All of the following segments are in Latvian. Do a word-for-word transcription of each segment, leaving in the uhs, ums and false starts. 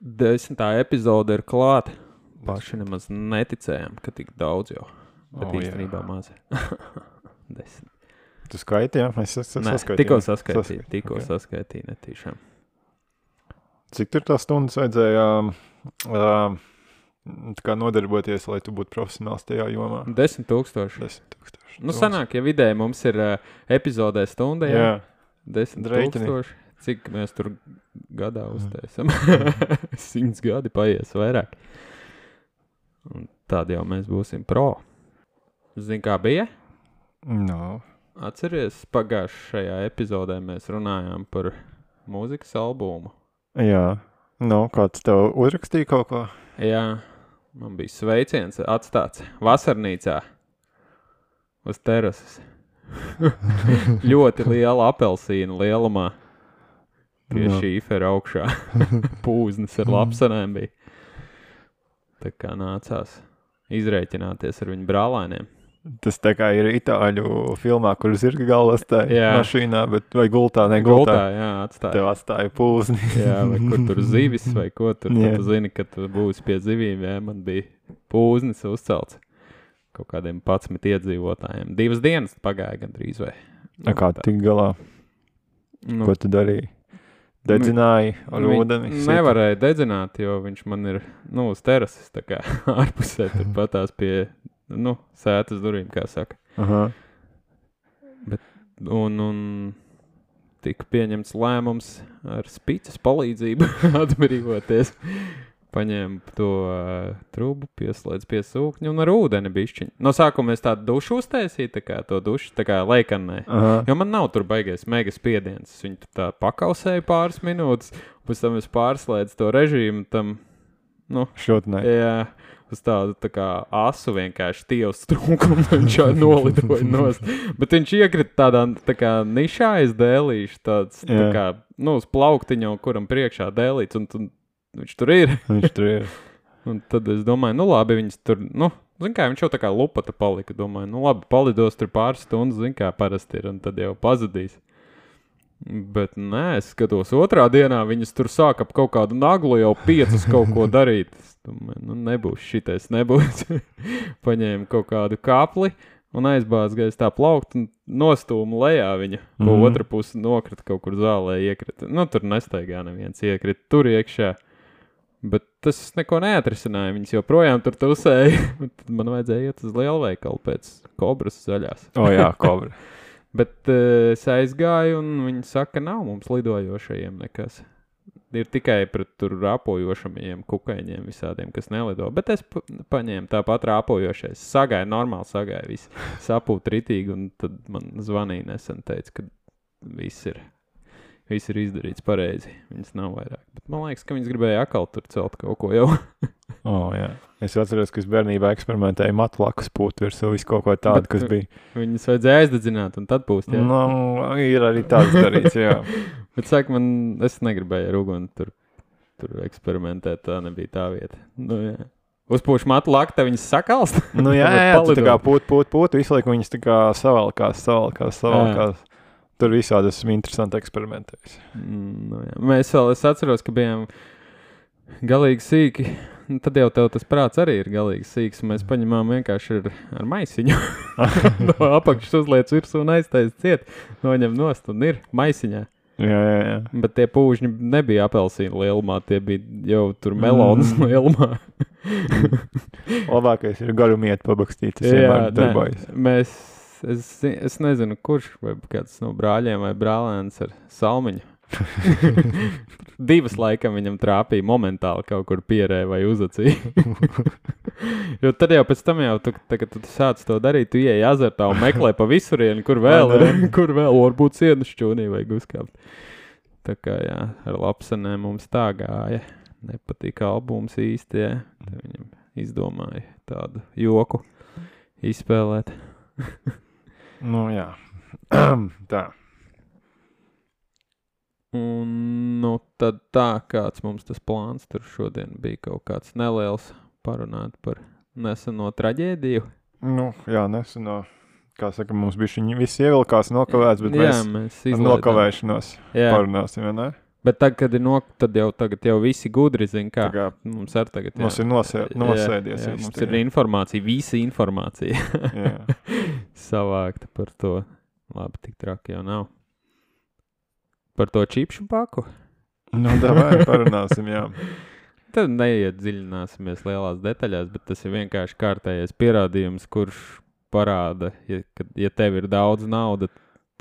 Desmitā epizode ir klāta. Paši nemaz neticējām, ka tik daudz jau. Bet oh, īstenībā maz. Desmit. Tu skaiti, jā? Es saskaitīju. Tikko saskaitīju, tikko okay. saskaitīju netīšām. Cik tur tā stundas vajadzēja uh, tā kā nodarboties, lai tu būtu profesionāls tajā jomā? Desmit tūkstoši. Desmit tūkstoši. Nu, sanāk, ja vidēji mums ir uh, epizodē stunda, jā? Jā. Desmit Dreitini. tūkstoši. Cik mēs tur gadā uztaisam? Simts gadi paies vairāk. Un tādi jau mēs būsim pro. Zini, kā bija? No. Atceries, pagājušajā epizodē mēs runājām par mūzikas albumu. Jā. No, kāds tev uzrakstīja kaut ko? Jā. Man bija sveiciens atstāts vasarnīcā uz terases. Ļoti liela apelsīna lielumā. Pie no. šīfera augšā. Pūznes ar lapsanēm bija. Tā kā nācās izreikināties ar viņu brālēniem. Tas tā kā ir itāļu filmā, kur zirga galvas tā mašīnā, bet vai gultā, ne gultā. Gultā, jā, atstāja. Tev atstāja pūzni. Jā, vai kur tur zivis vai ko tur. Tad tu zini, ka tu būsi pie zivīm, jā, man bija pūznis uzcelts kaut kādiem patsmit iedzīvotājiem. Divas dienas pagāja gandrīz vai. Nu, kā tik galā? Nu, ko tu darīji? Dedzināji ar ūdeni? Nevarēja dedzināt, jo viņš man ir, nu, uz terases, tā kā ārpusē tur patās pie, nu, sētas durvīm, kā saka. Aha. Bet, un, un tika pieņemts lēmums ar spīces palīdzību atbrīvoties. Paņēma to uh, trubu, pieslēdz pie sūkņa un ar ūdeni bišķiņ. No sākuma es tādu dušu uztaisīju, tā kā to dušu, tā kā leikannē. Aha. Jo man nav tur baigies mega spiediens. Es viņu tā pakausēju pāris minūtes, pēc tam es pārslēdzu to režīmu tam, nu, šotnē. Jā, uz tādu tā kā asu vienkārši tievs trūkumu, viņš jau nolidoja nost. Bet viņš iekrita tādā tā kā nišā aiz dēlīšu, tāds, jā. Tā kā, nu, uz plauktiņu, kuram priekšā dēlīts, un tu viņš tur ir. Viņš tur ir. Un tad es domāju, nu labi, viņas tur, nu, zin kā, viņš jau tā kā lupata palika, domāju, nu labi, palidos tur pāris stundas, zin kā parasti ir, un tad jau pazudīs. Bet nē, es skatos otrā dienā, viņas tur sāk ap kaut kādu naglu jau piecas kaut ko darīt. Es domāju, nu nebūs šitais, nebūs. Paņēmu kaut kādu kapli un aizbāz gaiz tā plaukt un nostūmu lejā viņa. Mm-hmm. Po otra pusi nokrita kaut kur zālē iekrita. Nu, tur nestaigā neviens iekrita, tur iekšā. Bet tas neko neatrisināja, viņas joprojām tur tusēja. Tad man vajadzēja iet uz lielveikalu pēc kobras zaļās. O jā, kobra. Bet uh, es aizgāju un viņi saka, nav mums lidojošajiem nekas. Ir tikai pret tur rāpojošamajiem kukaiņiem visādiem, kas nelido. Bet es pa- paņēmu tāpat rāpojošais. Sagāju, normāli sagāju, viss sapūt ritīgi un tad man zvanīja nesen, teica, ka viss ir. Viss ir izdarīts pareizi. Viņas nav vairāk. Bet man liekas, ka viņas gribēja akal tur celt kaut ko jau. O, jā. Es atceros, ka es bērnībā eksperimentēju matu lakas pūt virsū visu kaut ko tādu, kas bija. Viņas vajadzēja aizdedzināt un tad pūst, jā. Nu, ir arī tāds darīts, jā. Bet saka, man, es negribēju ar uguni tur, tur eksperimentēt, tā nebija tā vieta. Nu, jā. Uzpūš matu laku, te viņas sakalst? Nu, jā, jā, tu tā kā pūt, pūt, pūt, visu laiku viņas tā kā savalkās, savalkās, savalkās. Jā. Tur visādi esmu interesanti eksperimentējis. Mm, nu jā. Mēs vēl, es atceros, ka bijām galīgi sīki. Nu, tad jau tev tas prāts arī ir galīgi sīks. Mēs paņemām vienkārši ar, ar maisiņu. No apakšas uzliec virsū un aiztais ciet. Noņem nost un ir maisiņā. Jā, jā, jā. Bet tie pūžņi nebija apelsīna lielumā. Tie bija jau tur melonas mm. lielumā. Labākais ir garumiet pabakstīt. Tas vienmēr darbojas. Mēs... Es, es nezinu, kurš, vai kāds no brāļiem vai brālēns ar salmiņu. Divas laikam viņam trāpīja momentāli kaut kur pierē vai uzacīja. Jo tad jau pēc tam jau, tu, tā, kad tu sāc to darīt, tu ieej azartā un meklē pa visurieni, kur vēl, kur vēl varbūt sienu šķūnī vai uzkāpt. Tā kā jā, ar lapsanēm mums tā gāja. Nepatika albums īsti, jā. Tad viņam izdomāja tādu joku izspēlēt. Nu, jā. Tā. Un, nu, tad tā, kāds mums tas plāns tur šodien bija kaut kāds neliels parunāt par neseno traģēdiju. Nu, jā, neseno. Kā saka, mums bija viņi visi ievilkās nokavēts, bet jā, mēs, mēs ar nokavēšanos jā. Parunāsim, vai ne? Bet tagad, kad ir nok, tad jau tagad jau visi gudri zina, kā. kā Mums ar tagad, jā. Mums ir nosē, nosēdies. Jā, jā, mums ir informācija, visa informācija savākta par to. Labi, tik traki jau nav. Par to čipšu paku? Nu, davai, parunāsim, jā. Tad neiedziļināsimies lielās detaļās, bet tas ir vienkārši kārtējais pierādījums, kurš parāda, ja, kad, ja tev ir daudz nauda,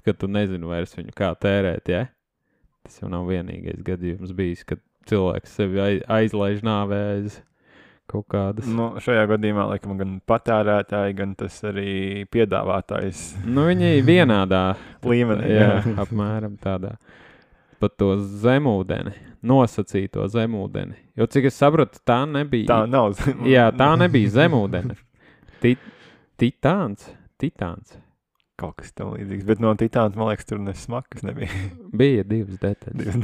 ka tu nezini vairs viņu kā tērēt, ja? Tas jau nav vienīgais gadījums bijis, kad cilvēks sevi aizlaiž nāvē aiz kaut kādas. Nu, šajā gadījumā, laikam, gan patērētāji, gan tas arī piedāvātājs. Nu, viņi vienādā līmenī. Jā, apmēram tādā. Pat to zemūdeni, nosacīto zemūdeni. Jo, cik es sapratu, tā nebija... Tā nav zemūdeni. Jā, tā nebija zemūdeni. Tit, titāns, titāns. Kaut kas tam līdzīgs, bet no titāna, man liekas, tur nesmakas nebija. Bija divas detaļas.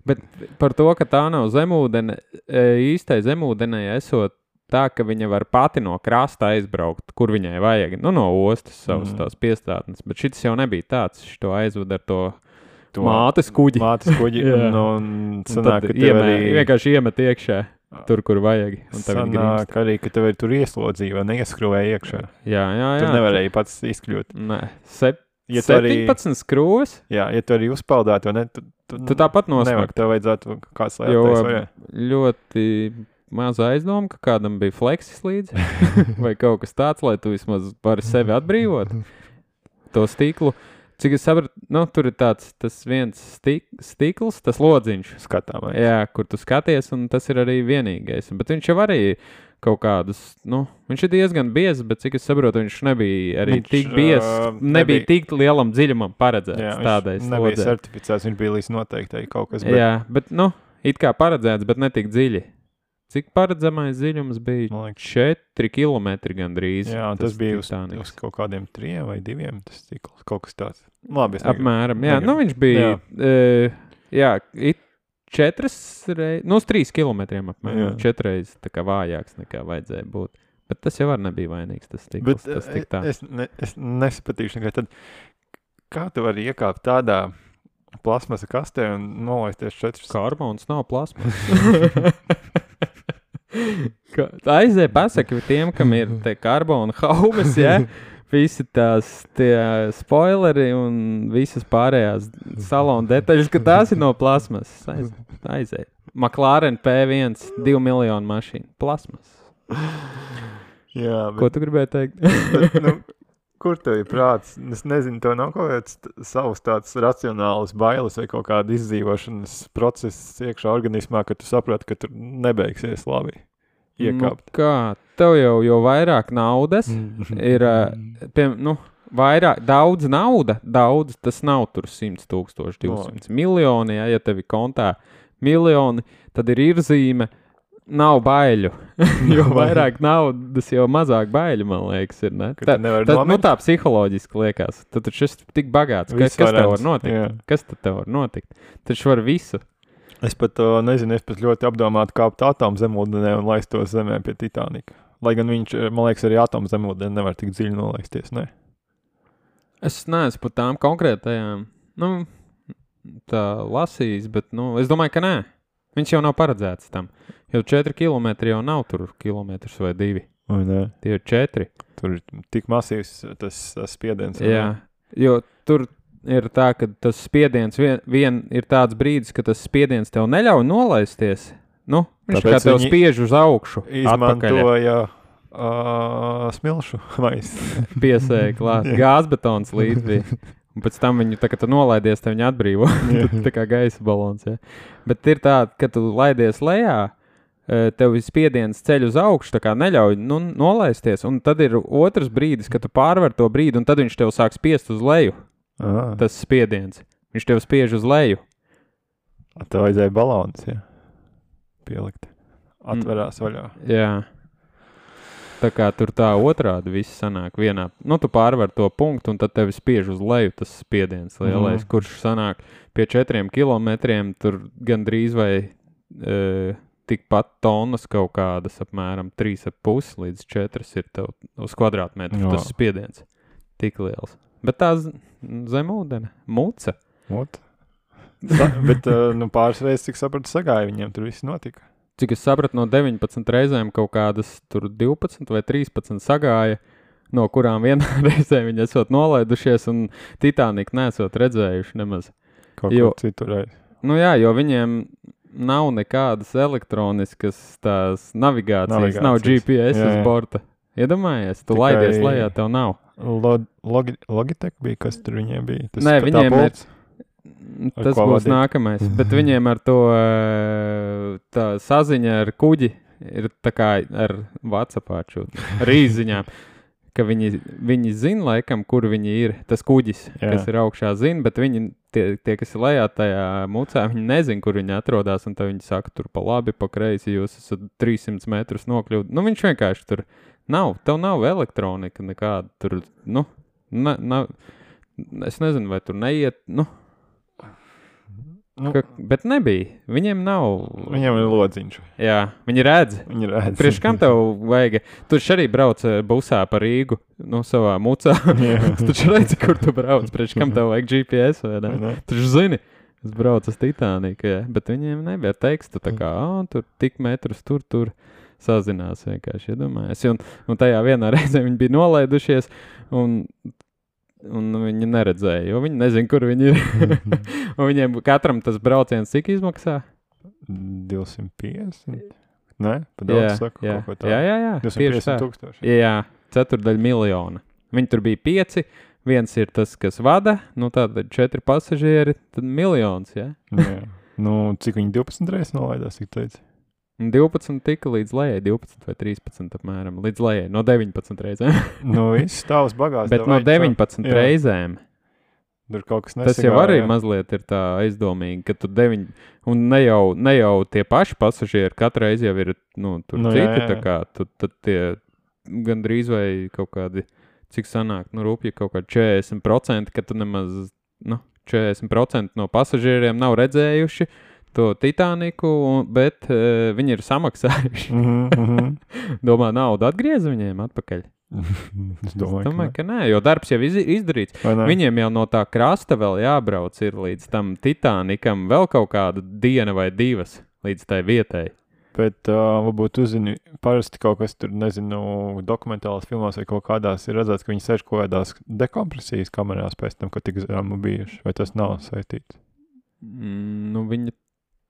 Bet par to, ka tā nav zemūdene, īstai zemūdenei esot tā, ka viņa var pati no krasta aizbraukt, kur viņai vajag, nu no ostas savas mm. tās piestātnes, bet šis jau nebija tāds, šito aizved ar to, to mātes kuģi. Mātes kuģi, un, un, un sanāk, ka tev iemē, arī... vienkārši iemet iekšā. Tur, kur vajag. Un sanāk arī, ka tev ir tur ieslodzīja vai neieskrūvēja iekšā. Jā, jā, jā. Tur nevarēja pats izkļūt. Nē. Sep, ja septiņpadsmit arī, skrūves? Jā, ja tu arī uzpeldētu, ne, tu, tu, tu tāpat nosmakt. Nevajag, tev vajadzētu kāds lētais vai? Ļoti maza aizdoma, ka kādam bija fleksis līdzi. Vai kaut kas tāds, lai tu vismaz vari sevi atbrīvot. To stiklu. Cik es sapratu, nu, tur ir tāds, tas viens stik, stikls, tas lodziņš. Skatāmais. Jā, kur tu skaties, un tas ir arī vienīgais. Bet viņš jau arī kaut kādus, nu, viņš ir diezgan biezs, bet cik es saprotu, viņš nebija arī viņš, tik biezs, uh, nebija, nebija tik lielam dziļumam paredzēts. Jā, tādai viņš nebija slodzē. Certificēts, viņš bija līdz noteiktai kaut kas. Bet... Jā, bet, nu, it kā paredzēts, bet ne tik dziļi. Cik paredzamais dziļums bija? četri kilometri gandrīz. Jā, tas, tas bija uz, uz kaut kādiem triem vai diviem, tas cikls, kaut kas tāds. Labi, es negribu. Apmēram, jā, negribu. Nu viņš bija, jā, uh, jā it četras reizes, nu uz trīs kilometriem apmēram, četreiz tā kā vājāks nekā vajadzēja būt. Bet tas jau var nebija vainīgs, tas cikls, Bet, tas tik tā. Es, ne, es nesapatīšu nekā tad, kā tu vari iekāpt tādā plasmasa kastē un nolaisties četras? Karbons nav plasmasa. Aizēja pasaka tiem, kam ir te karbona haumas, ja? Visi tās tie spoileri un visas pārējās salona detaļas, ka tās ir no plasmas. Aiz, aizēja. McLaren P viens, divu miljonu mašīnu. Plasmas. Jā, bet... Ko tu gribēji teikt? bet, nu, kur tev ir prāts? Es nezinu, tev nav kaut kāds savs tāds racionāls bailes vai kaut kāda izdzīvošanas process iekšā organismā, ka tu saprati, ka tur nebeigsies labi. Iekāpt. Nu kā, tev jau, jau vairāk naudas ir, pie, nu, vairāk, daudz nauda, daudz, tas nav tur simts tūkstoši, divsimt miljoni, ja, ja tev ir kontā miljoni, tad ir irzīme, nav baiļu, jo vairāk naudas, jo mazāk baiļu, man liekas, ir, ne? Tā, tā, nu tā psiholoģiski liekas, tad taču esi tik bagāts, kas, kas tev var notikt? Jā. Kas tad tev var notikt? Taču var visu. Es pat uh, nezinu, es pat ļoti apdomātu kāpt atomu zemūdenē un laist to zemē pie Titanika. Lai gan viņš, man liekas, arī atomu zemūdenē nevar tik dziļi nolaisties, ne? Es neesmu pat tām konkrētajām, nu, tā lasījis, bet, nu, es domāju, ka nē. Viņš jau nav paredzēts tam. Jo četri kilometri jau nav tur kilometrs vai divi. Vai ne? Tie ir četri. Tur ir tik masīvs tas, tas spiediens. Jā, jo tur... ir tā, ka tas spiediens vien, vien ir tāds brīdis, ka tas spiediens tev neļauj nolaisties. Nu, viņš Tāpēc kā tev spiež uz augšu. Izmantoja uh, smilšu vai piesēja klāt. Gāzbetons līdz bija. Un pēc tam viņu, tā kā tu nolaidies, te viņu atbrīvo. Tā kā gaisa balons, ja. Bet ir tā, ka tu laidies lejā, tev spiediens ceļ uz augšu, tā kā neļauj nu, nolaisties. Un tad ir otrs brīdis, kad tu pārvar to brīdi, un tad viņš tev sāk spiest uz leju. Aha. Tas spiediens. Viņš tev spiež uz leju. Tev vajadzēja balons, jā. Pielikt. Atverās mm. vaļā. Jā. Tā kā tur tā otrādi viss sanāk vienā. Nu, tu pārvar to punktu, un tad tevi spiež uz leju tas spiediens lielais, mm. kurš sanāk pie četriem kilometriem, tur gandrīz vai e, tikpat tonnas kaut kādas, apmēram trīs ap pusi līdz četras ir tev uz kvadrātmetru no. Tas spiediens. Tik liels. Bet tā zemūdene, muca. Ot. Sa, bet uh, nu, pāris reizes, cik sapratu, sagāja viņiem, tur viss notika. Cik es sapratu, no deviņpadsmit reizēm kaut kādas tur divpadsmit vai trīspadsmit sagāja, no kurām vienā reizē viņi esot nolaidušies un Titaniku nesot redzējuši nemaz. Kaut Jo- kur citur reiz. Nu jā, jo viņiem nav nekādas elektroniskas tās navigācijas, Navigācijas. nav G P S Jā, uz jā. borta. Iedomājies, tu Tikai- laidies lejā, tev nav. Log, logi, Logitech bija, kas tur viņiem bija? Tas, Nē, ka tā viņiem ir- pults? Ar Tas ko būs vadīt? nākamais, bet viņiem ar to ē, tā saziņa ar kuģi ir tā kā ar WhatsAppā čūt, ar īziņām, ka viņi, viņi zina laikam, kur viņi ir, tas kuģis, Jā. kas ir augšā zina, bet viņi, tie, tie, kas ir lejā tajā mucā, viņi nezin, kur viņi atrodās, un tad viņi saka, tur pa labi, pa kreisi, jūs esat trīssimts metrus nokļūt. Nu, viņš vienkārši tur nav, tev nav elektronika nekāda, tur, nu, na, na, es nezinu, vai tur neiet, nu, Nu, ka, bet nebija, viņiem nav, viņiem ir lodziņš. jā, viņi redz. Viņi redz. Priekš kam tev vajag? Tu taču arī brauc eh, busā pa Rīgu, nu, savā mucā. Jā. Tu taču redzi, kur tu brauc. Priekš kam tev vajag G P S, vai ne? Vai ne? Tu taču zini, es braucu uz Titaniku, jā. Bet viņiem nebija tekstu, tā kā, ā, tur tik metrus, tur, tur sazinās vienkārši, iedomājies. Un, un tajā vienā reizē viņi bija nolaidušies, un, un viņi neredzēja, jo viņi nezin, kur viņi ir. Un viņiem katram tas brauciens cik izmaksā? divsimt piecdesmit? Nē, pa Jā, daudz saku jā, kaut ko tādu. jā, jā, jā, divsimt tieši tā. piecdesmit tūkstoši. Jā, ceturdaļa miljona. Viņi tur bija pieci, viens ir tas, kas vada, nu tātad četri pasažieri, tad miljons, jā. Jā. Nu, cik viņi divpadsmit reizes nolaidās, cik teici? Un divpadsmit tika līdz lejai, divpadsmit vai trīspadsmit apmēram, līdz lejai, no deviņpadsmit reizēm. Nu, viss tavs bagāts. Bet tev no vajag šo- deviņpadsmit jā. reizēm. Tur kaut kas Tas jau nesagāja, arī jā. mazliet ir tā aizdomīgi, ka tu deviņ, un ne jau, ne jau tie paši pasažieri, katru reizi jau ir, nu, tur Nu, nu, jā, citi, jā, tā jā. kā, tad, tad tie gandrīz vai kaut kādi, cik sanāk, nu, rūpīgi kaut kādi četrdesmit procenti, ka tu nemaz, nu, četrdesmit procenti no pasažieriem nav redzējuši to Titaniku, un, bet uh, viņi ir samaksājuši. Mhm, mhm. Domā, naudu atgriez viņiem atpakaļ? Es Es domāju, domāju, ka nē, jo darbs jau iz, izdarīts. Vai ne? Viņiem jau no tā krasta vēl jābrauc ir līdz tam Titanikam vēl kaut kāda diena vai divas līdz tai vietai. Bet uh, varbūt uzzini, parasti kaut kas tur, nezinu, dokumentālās filmās vai kaut kādās ir redzēts, ka viņi sēž kaut kādās dekompresijas kamerās pēc tam, kad tik zemu bijuši. Vai tas nav saistīts? Mm, nu, viņi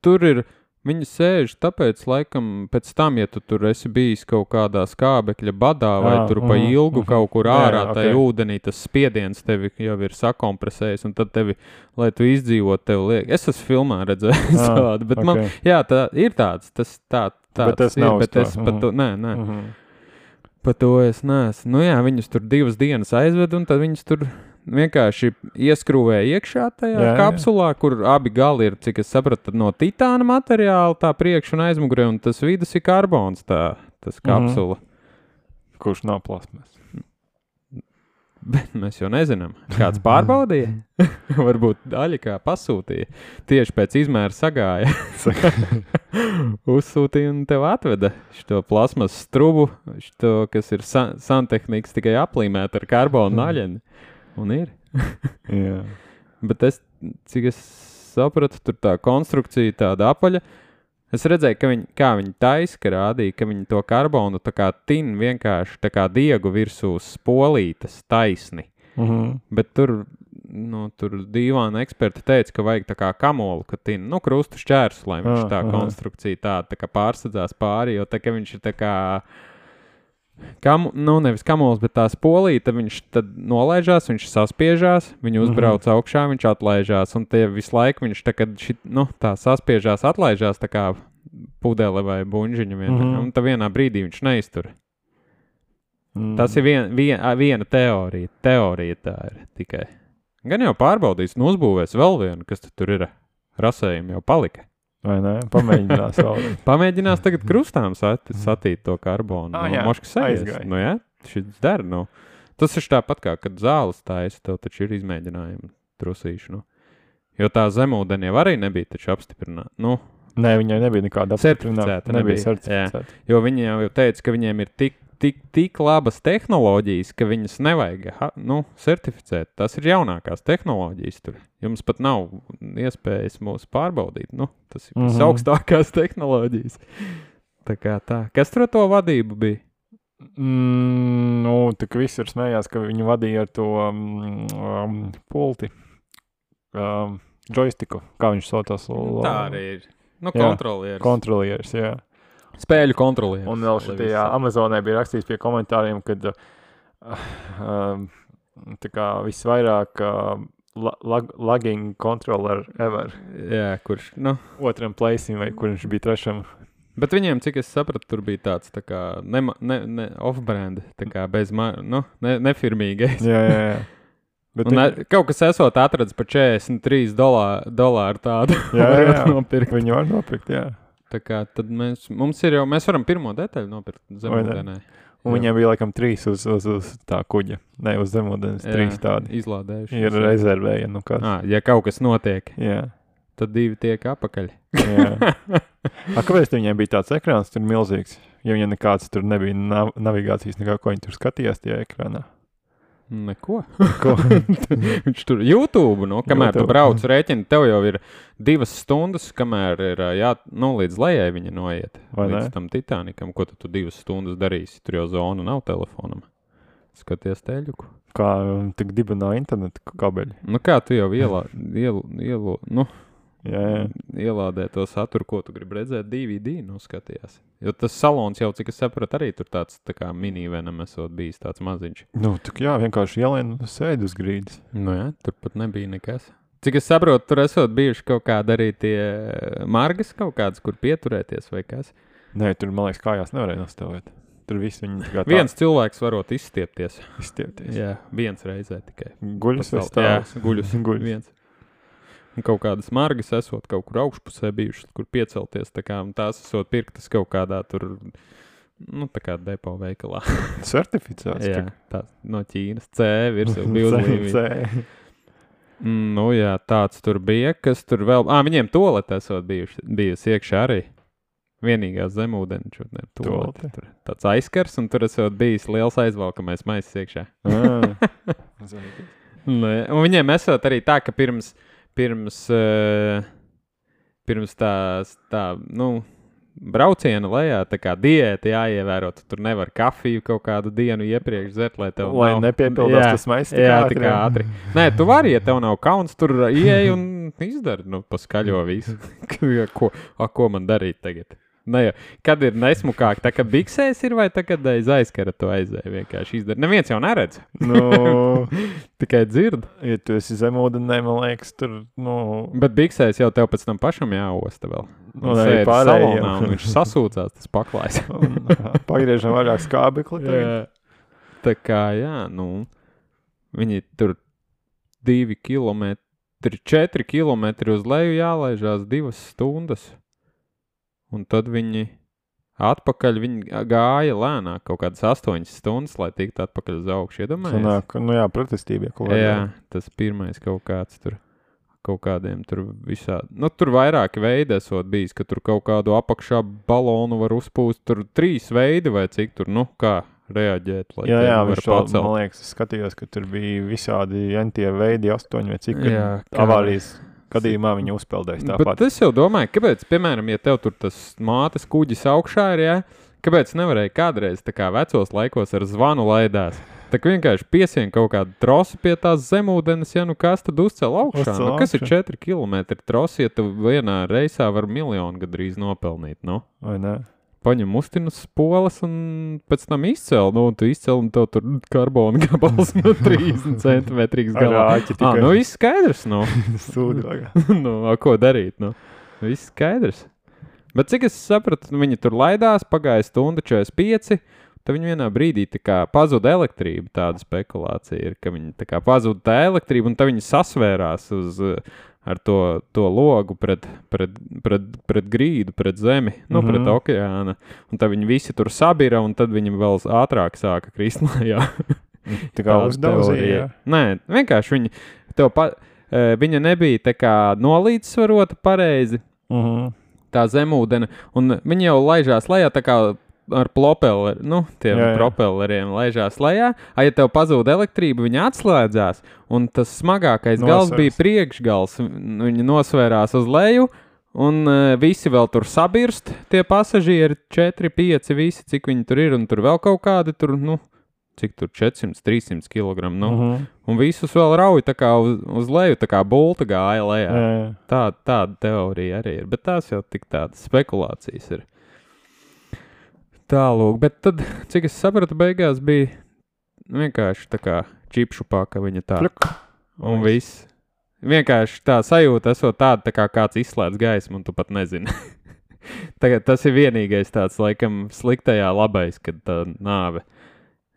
tur ir, viņi sēž, tāpēc laikam pēc tam, ja tu tur esi bijis kaut kādā skābekļa badā vai Jā, tur pa mhm, ilgu mhm. kaut kur Jā, ārā jā, tai ok. ūdenī, tas spiediens tevi jau ir sakompresējis, un tad tevi, lai tu izdzīvot, tev liek. Es esmu filmā redzējis Ah, tādu, bet man, Ok. jā, tā ir tāds, tas tā, tāds Bet tas ir, nav uz bet to, es pa mhm. to, nē, nē, Mhm. pa to es neesmu. Nu jā, viņus tur divas dienas aizved, un tad viņus tur vienkārši ieskrūvēja iekšā tajā Jā, jā. kapsulā, kur abi gali ir, cik es sapratu, no titāna materiāla, tā priekš un aizmugurē, un tas vidus ir karbons, tā, tas kapsula. Kurš nav plasmas? Bet mēs jau nezinām, kāds pārbaudīja. Varbūt daļa kā pasūtīja. Tieši pēc izmēra sagāja. Uzsūtīja un tev atveda šo plasmas strubu, šo, kas ir sa santehnikas tikai aplīmēta ar karbonu naļeni. Un ir. Jā. Bet es, cik es sapratu, tur tā konstrukcija tāda apaļa. Es redzēju, ka viņi, kā viņi taisa, ka rādīja, ka viņi to karbonu tā kā tin vienkārši tā kā diegu virsū spolītas taisni. Mhm. Bet tur, nu, tur dīvāna eksperti teica, ka vajag tā kā kamolu, ka tin, nu, krustu šķērsu, lai viņš Ah, tā aha. konstrukcija tā, tā kā pārsadzās pāri, jo tā, ka viņš ir tā kā, kam, nu, nevis kamols, bet tā spolīta, viņš tad nolaižās, viņš saspiežās, viņu uzbrauc Mhm. augšā, viņš atlaižās, un tie visu laiku viņš tā, kad šit, nu, tā saspiežās, atlaižās tā kā pudele vai buņžiņa vienā, Mhm. un tā vienā brīdī viņš neiztur. Mm. Tas ir vien, vien, ā, viena teorija. Teorija tā ir tikai. Gan jau pārbaudīs, nu uzbūvēs vēl vienu, kas tu tur ir. Rasējumi jau palika. Vai ne? Pamēģinās vēl. Pamēģinās tagad krustām sat, satīt to karbonu. Ah, nu, jā, moškas aizies. aizgāja. Nu, jā, šis der, nu. Tas ir tāpat kā, kad zāles taisa, tev taču ir izmēģinājumi trusīši, nu. Jo tā zemūdeni jau arī nebija taču apstiprināta. Nu, Nē, viņai nebija nekāda Certificēta Nebija nebija, certificēta. jo viņi jau teica, ka viņiem ir tik tik, tik labas tehnoloģijas, ka viņas nevajag ha, nu, certificēt. Tas ir jaunākās tehnoloģijas tur. Jums pat nav iespējas mūs pārbaudīt. Nu, tas ir mm-hmm. visaugstākās tehnoloģijas. Tā kā tā. Kas tur to vadību bija? Mm, nu, tā kā visur smējās, ka viņi vadīja ar to um, pulti. Um, joystiku, kā viņš saucās. Tā arī ir. Nu, kontrolieris. Kontrolieris, jā. Spēļu kontrolieris. Un vēl šitajā Amazonē bija rakstīts pie komentāriem, kad uh, uh, tā kā visvairāk uh, lag, lagging controller ever. Jā, kurš, nu. Otram placim vai kur viņš bija trešam. Bet viņiem, cik es sapratu, tur bija tāds tā kā ne, ne, ne off-brand, tā kā bez, nu, ne, nefirmīgais. Jā, jā, jā. Bet un viņi... kaut kas esot atrads par četrdesmit trīs dolāru, dolāru tādu. Jā, jā, jā. Nopirkt. Viņi var nopirkt, jā. Tā kā tad mēs, mums ir jau, mēs varam pirmo detaļu nopirkt zemūdenē. Un viņiem bija laikam trīs uz, uz, uz tā kuģa. Ne, uz zemūdenes, trīs tādi. Izlādējuši. Ir rezervēja, nu kas. À, ja kaut kas notiek, jā. tad divi tiek apakaļ. Jā. A, kāpēc viņiem bija tāds ekrāns tur milzīgs? Ja viņiem nekāds tur nebija nav, navigācijas, nekā, ko viņi tur skatījās tajā ekrānā? Neko. Neko. Viņš tur YouTube, nu, kamēr YouTube. Tu brauc rēķini, tev jau ir divas stundas, kamēr ir, jā, nu, līdz lejai viņa noiet. Vai līdz ne? tam Titanikam, ko tu, tu divas stundas darīsi. Tur jau zona nav telefonam. Skaties teļuku. Kā tik dibenā interneta kabeļi. Nu, kā tu jau ielā, ielu, ielu, nu, jā, jā. ielādē to saturu, ko tu gribi redzēt, D V D, nu, skatījās. Jo tas salons jau, cik es sapratu, arī tur tāds tā kā minivenam esot bijis tāds maziņš. Nu, tak jā, vienkārši ielien sēd uz grīdas. Nu jā, tur pat nebija nekas. Cik es saprotu, tur esot bijuši kaut kādi arī tie margas kaut kādas, kur pieturēties vai kas? Nē, tur, man liekas, kājās nevarēja nostāvēt. Tur viss viņi tā kā tā... Viens cilvēks varot izstiepties. Izstiepties. Jā, viens reizē tikai. Guļus vai stāvs? Jā, guļus. Guļus. Viens. Un kaut kādas margas esot kaut kur augšpusē bijušas, kur piecelties, tā kā, un tās esot pirktas kaut kādā tur, nu, tā kā depo veikalā. Certificēts? Jā, tā no Ķīnas. C virs jau bija uzlīmīgi. Nu jā, tāds tur bija, kas tur vēl, ā, viņiem toalete esot bijuši, bijusi iekšā arī. Vienīgās zemūdeni šodien toalete. Tur tāds aizskars, un tur esot bijis liels aizvalkamais maisis iekšā. Nē, un viņiem esot arī tā, ka pirms Pirms, uh, pirms tās, tā, nu, brauciena lejā, tā kā diēta jāievēro, tu tur nevar kafiju kaut kādu dienu iepriekš dzert, lai tev lai nav... nepiepildās tas maisis tik jā, ātri. Jā, tik ātri. Nē, tu vari, ja tev nav kauns, tur ieej un izdari, nu, paskaļo visu. ko, a, ko man darīt tagad? Ne, kad ir nesmukāk, tā kā biksēs ir vai tā, kad aiz aizkara to aizēja vienkārši izdara. Neviens jau neredz. Nu, tikai dzird. Ja tu esi zemūdenē, man liekas, tur, nu... Bet biksēs jau tev pēc tam pašam jāosta vēl. Un arī pārējiem. Salonā, un viņš sasūcās, tas paklājs. Pagriežam vairāk skābekli. Jā. Tā kā, jā, nu, viņi tur divi kilometri, četri kilometri uz leju jālaižās divas stundas. Un tad viņi atpakaļ, viņi gāja lēnāk kaut kādas astoņas stundas, lai tiktu atpakaļ uz augšu, iedomājies? Sanāk, nu jā, pretestība. Jā, tas pirmais kaut kāds tur, kaut kādiem tur visā, nu tur vairāki veidi esot bijis, ka tur kaut kādu apakšā balonu var uzpūst, tur trīs veidi vai cik tur, nu kā reaģēt, lai jā, jā, var pacelt. Man liekas, es skatījos, ka tur bija visādi entie veidi, astoņi vai cik, jā, avārijas. Gadījumā viņi uzpeldēs tāpat. Bet es jau domāju, kāpēc, piemēram, ja tev tur tas mātes kuģis augšā ir, jā, kāpēc nevarēja kādreiz tā kā vecos laikos ar zvanu laidās? Tā kā vienkārši piesien kaut kādu trosi pie tās zemūdenes, ja nu kas tad uzcel augšā? Uzcel nu, kas augšā. ir četri kilometri trosi, ja tu vienā reisā var miljonu gadrīz nopelnīt, nu? Vai ne? Paņem mustinus spoles un pēc tam izcel, nu, un tu izcel un tev tur karbona gabals no trīsdesmit centimetrīgs galā. Ā, nu, viss skaidrs, nu. Sūdi vajag. nu, ko darīt, nu. Viss skaidrs. Bet cik es sapratu, viņi tur laidās, pagāja stunda četrdesmit pieci, tad viņi vienā brīdī tā kā pazuda elektrība, tāda spekulācija ir, ka viņi tā kā pazuda tā elektrība, un tad viņi sasvērās uz... ar to, to logu pret, pret, pret, pret grīdu, pret zemi, nu, mm-hmm. pret okeāna. Un tad viņi visi tur sabira, un tad viņi vēl ātrāk sāka krist lejā. Tā kā uzdauzīja. Nē, vienkārši viņi, tev pa, viņa nebija tā kā nolīdzsvarota pareizi, mm-hmm. tā zemūdene, un viņi jau laižās lejā tā kā ar propelleri, nu, tiem Jā, jā. propelleriem laižās lejā. A, ja tev pazūd elektrība, viņa atslēdzās, un tas smagākais gals Nosvers. bija priekšgals. Viņa nosvērās uz leju, un uh, visi vēl tur sabirst, tie pasažieri, četri, pieci, visi, cik viņi tur ir, un tur vēl kaut kādi tur, nu, cik tur četrsimt, trīssimt kilogramu, nu, Uh -huh. un visus vēl rauj tā kā uz, uz leju, tā kā bulta gāja lejā. Jā, jā. Tā, tāda teorija arī ir, bet tās jau tik tādas spekulācijas ir. Tālūk, bet tad, cik es sapratu, beigās bija vienkārši tā kā čipšu paka viņa tā. Pluk. Un viss. Vienkārši tā sajūta esot tāda, tā kā kāds izslēdz gaismu, un tu pat nezini. Tagad tas ir vienīgais tāds, laikam, sliktajā labais, kad tā nāve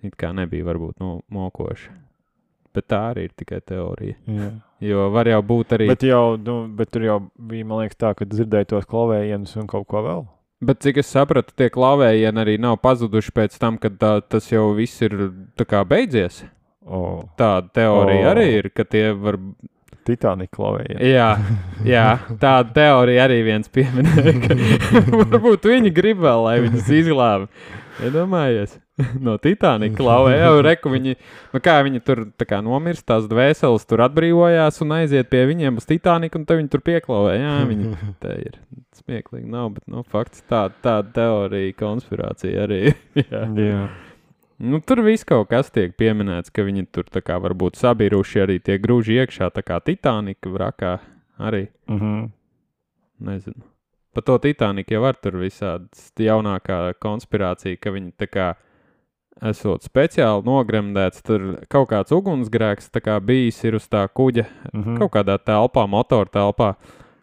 it kā nebija varbūt no, mokoša. Bet tā arī ir tikai teorija. Jā. Jo var jau būt arī... Bet, jau, nu, bet tur jau bija, man liekas, tā, ka dzirdēja tos klavējienus un kaut ko vēl. Bet cik es sapratu, tie klavējieni arī nav pazuduši pēc tam, kad tā, tas jau viss ir tā kā beidzies. Oh. Tāda teorija O. arī ir, ka tie var... Titanika klavējieni. Jā, jā, tāda teorija arī viens pieminēja, ka varbūt viņi grib vēl, lai viņus izglābi. Iedomājies, no Titanika klauvē, jau reku viņi, nu kā viņi tur tā kā nomirst, tās dvēseles tur atbrīvojās un aiziet pie viņiem uz Titaniku, un tad viņi tur pieklauvē. Jā, viņi te ir smieklīgi nav, bet, nu, fakts tāda tā teorija, konspirācija arī. Jā. Jā. Nu, tur viss kaut kas tiek pieminēts, ka viņi tur tā kā varbūt sabiruši arī tie grūži iekšā, tā kā Titanika vrakā arī. Uh -huh. Nezinu. Pa to Titaniku jau var tur visādas jaunākā konspirācija, ka viņi tā kā esot speciāli nogremdēts, tur kaut kāds ugunsgrēks tā kā bijis ir uz tā kuģa, Uh -huh. kaut kādā telpā, motora telpā,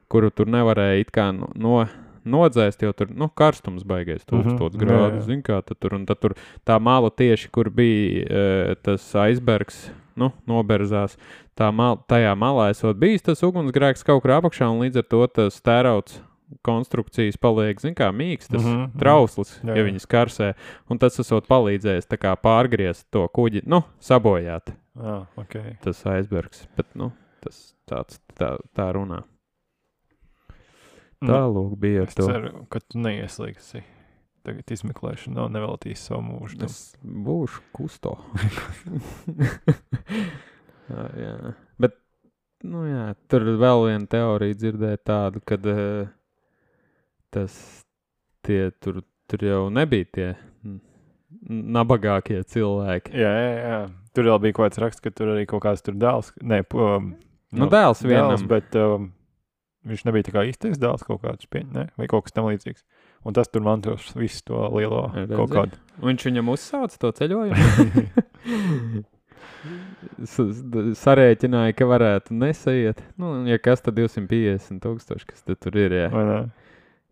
kuru tur nevarēja it kā no, no nodzēst, jo tur, nu, karstums baigais tūkstots Mhm, jā, grādu, jā. zin kā, tad tur, un tad tur tā mala tieši, kur bija e, tas aizbergs, nu, noberzās, tā mal, tajā malā esot bijis tas ugunsgrēks kaut kur apakšā, un līdz ar to tas tērauts konstrukcijas paliek, zin kā, mīkstas, Mhm, mhm. trausls, Jā, ja jā. viņas karsē, un tas esot palīdzējis tā kā pārgriezt to kuģi, nu, sabojāt Ah, okay. tas aizbergs, bet, nu, tas tāds, tā, tā runā. Tālūk bija ar Es to. ceru, ka tu neieslīgsi tagad izmeklēšanā un neveltīsi savu mūžu. tam. Es būšu kusto. jā, jā. Bet, nu jā, tur vēl viena teorija dzirdēja tādu, kad uh, tas tie tur, tur jau nebija tie n- nabagākie cilvēki. Jā, jā, jā. Tur vēl bija kaut kāds raksts, ka tur arī kaut kāds tur dēls. Nē, um, Nu, dēls vienam. dēls, bet um, viņš nebija tā kā īstais dēls kaut kāds pieņem, ne? Vai kaut kas tam līdzīgs. Un tas tur mantos visu to lielo Redzi? kaut kādu. Viņš viņam uzsāca to ceļojumu. S- s- Sarēķināja, ka varētu nesaiet. Nu, un ja kas, tad divsimt piecdesmit tūkstoši, kas tad tur ir, jā. Vai ne?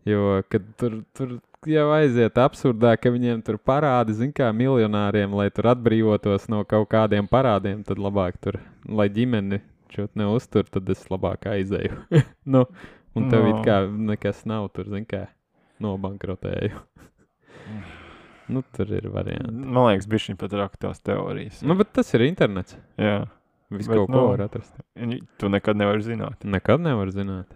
Jo, kad tur, tur jau aiziet absurdā, ka viņiem tur parādi, zin kā, miljonāriem, lai tur atbrīvotos no kaut kādiem parādiem, tad labāk tur, lai ģimeni šot neuztur, tad es labāk aizēju. nu, un tev No. it kā nekas nav tur, zin kā, nobankrotēju. nu, tur ir varianti. Man liekas, bišķiņ pat raka tās teorijas. Nu, bet tas ir internets. Jā. Visu Bet, kaut ko nu, var atrast. Un tu nekad nevari zināt. Nekad nevar zināt.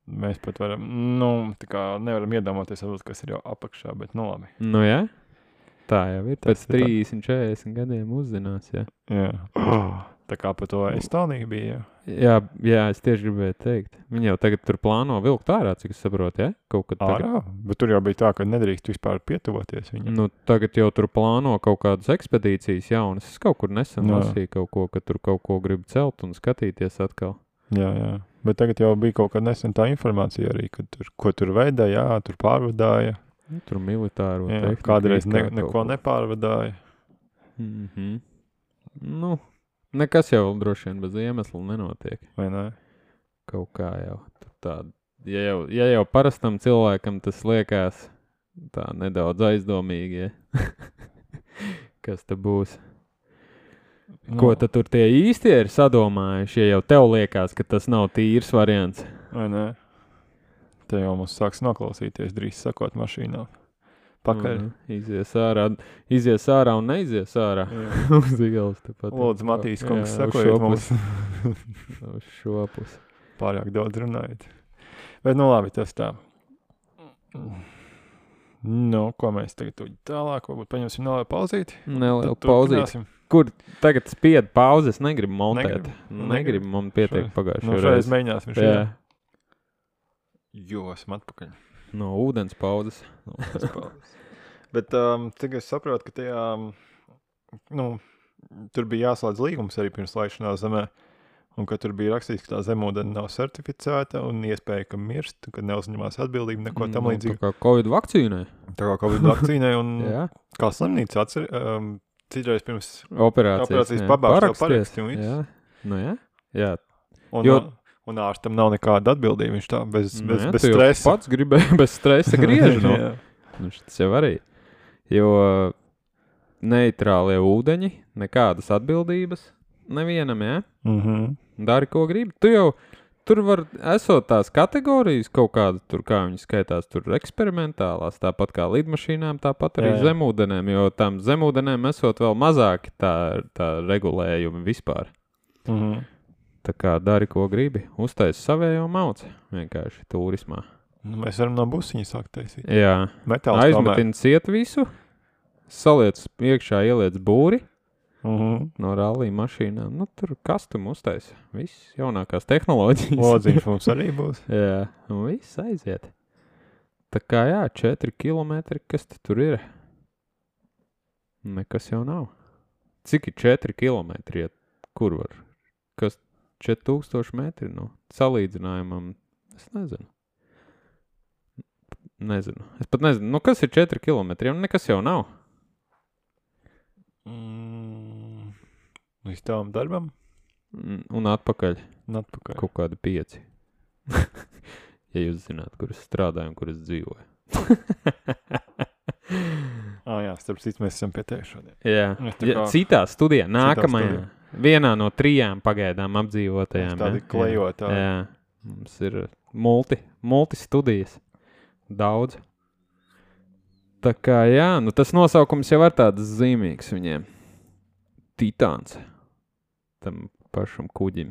Mēs pat varam, nu, tā kā nevaram iedomāties, varbūt, kas ir jau apakšā, bet nu labi. Nu, jā. Tā jau ir. Tas Pēc ir tā. trīsdesmit, četrdesmit gadiem uzzinās, jā. Jā. Tā kā par to Estoniju bija. Jā, jā, es tieši gribēju teikt. Viņi jau tagad tur plāno vilkt ārā, cik es saprotu, ja? Kaut kad tagad. Ārā, bet tur jau bija tā, ka nedrīkst vispār pietuvoties viņam. Nu, tagad jau tur plāno kaut kādas ekspedīcijas jaunas. Es kaut kur nesen Jā. lasīju kaut ko, ka tur kaut ko grib celt un skatīties atkal. Jā, jā. Bet tagad jau bija kaut kāda nesen tā informācija arī, ka tur, ko tur veida, jā, tur pārvadāja. Nu, tur militāro Jā, tehniku. kādreiz it ne, kā kaut neko ko. nepārvadāja. Mhm. Nu, nekas jau droši vien bez iemesla nenotiek. Vai ne? Kaut kā jau tur tāda. Ja jau, ja jau parastam cilvēkam tas liekas tā nedaudz aizdomīgi, ja? Kas te būs? Nu, Ko tad tur tie īstie ir sadomājuši, ja jau tev liekas, ka tas nav tīrs variants? Vai ne? Te jau mums sāks noklausīties drīz sakot mašīnā. Pakaļ. Mhm. Izies ārā, izies ārā un neizies ārā. Jā. Uz ielas tepat. Lūdzu, Matīs, kungs, Jā, uz sakojiet šo mums. pusi. Uz šo pusi. Pārāk daudz runājot. Bet, nu labi, tas tā. Nu, ko mēs tagad tuļi tālāk, varbūt paņemsim nelielu pauzīti. Nelielu pauzīti. Kur tagad spied pauzes, negribu montēt. Negribu, negribu man pietiek pagājušajā nu, reizē. Nu, mēģināsim šajā. Jo, esam atpakaļ. No ūdens pauzes. No ūdens pauzes. Bet um, tagad es saprotu, ka tajā, nu, tur bija jāslēdz līgums arī pirms laišanās zemē. Un ka tur bija rakstīts, ka tā zemūdeni nav certificēta un iespēja, ka mirst, kad neuzņemās atbildību, neko tam līdzīgi. Tā kā Covid vakcīnai. Tā kā Covid vakcīnai un kā slimnīca atcer, um, citreiz pirms operācijas, operācijas pabārs tev paraksti un viss. Jā, nu jā, jā. Un, jo... un ārstam nav nekāda atbildība, viņš tā bez, nu bez, jā, bez stresa. Pats gribēja bez stresa griež, no. Nu, tas jau arī. Jo neitrālie ūdeņi, nekādas atbildības nevienam, jā? Mhm. Dari, ko gribi. Tu jau, tur var, esot tās kategorijas kaut kāda, tur kā viņi skaitās, tur eksperimentālās, tāpat kā lidmašīnām, tāpat arī jā, jā. zemūdenēm, jo tam zemūdenēm esot vēl mazāki tā, tā regulējumi vispār. Mhm. Tā kā dari, ko gribi. Uztais savējo mauci, vienkārši turismā. Nu, mēs varam no busiņa sākt taisīt. Jā. Metāls aizmetin ciet visu, saliec iekšā, ieliec būri. Uh-huh. No rallija mašīnām. Nu, tur kastumu uztaisa. Viss jaunākās tehnoloģijas. Lodziņš mums arī būs. Jā, un viss aiziet. Tā kā jā, četri kilometri, kas tur ir? Nekas jau nav. Cik ir četri kilometri? Kur var? Kas četri tūkstoši metri? Nu, salīdzinājumam, es nezinu. Nezinu. Es pat nezinu. Nu, kas ir četri kilometri? Nekas jau nav. Mm, līdz tavam darbam? Un atpakaļ. Un atpakaļ. Kaut kādi pieci. Ja jūs zināt, kur es strādāju un kur es dzīvoju. ah, jā, starp citu mēs esam pie tevi šodien. Jā, ja, citā studijā, nākamajā. Studijā. Vienā no trijām pagaidām apdzīvotajām. Tādi klejotāji. Jā, mums ir multi, multi studijas. Daudz. Tā kā, jā, nu tas nosaukums jau ir tāds zīmīgs viņiem. Titāns. Tam pašam kuģim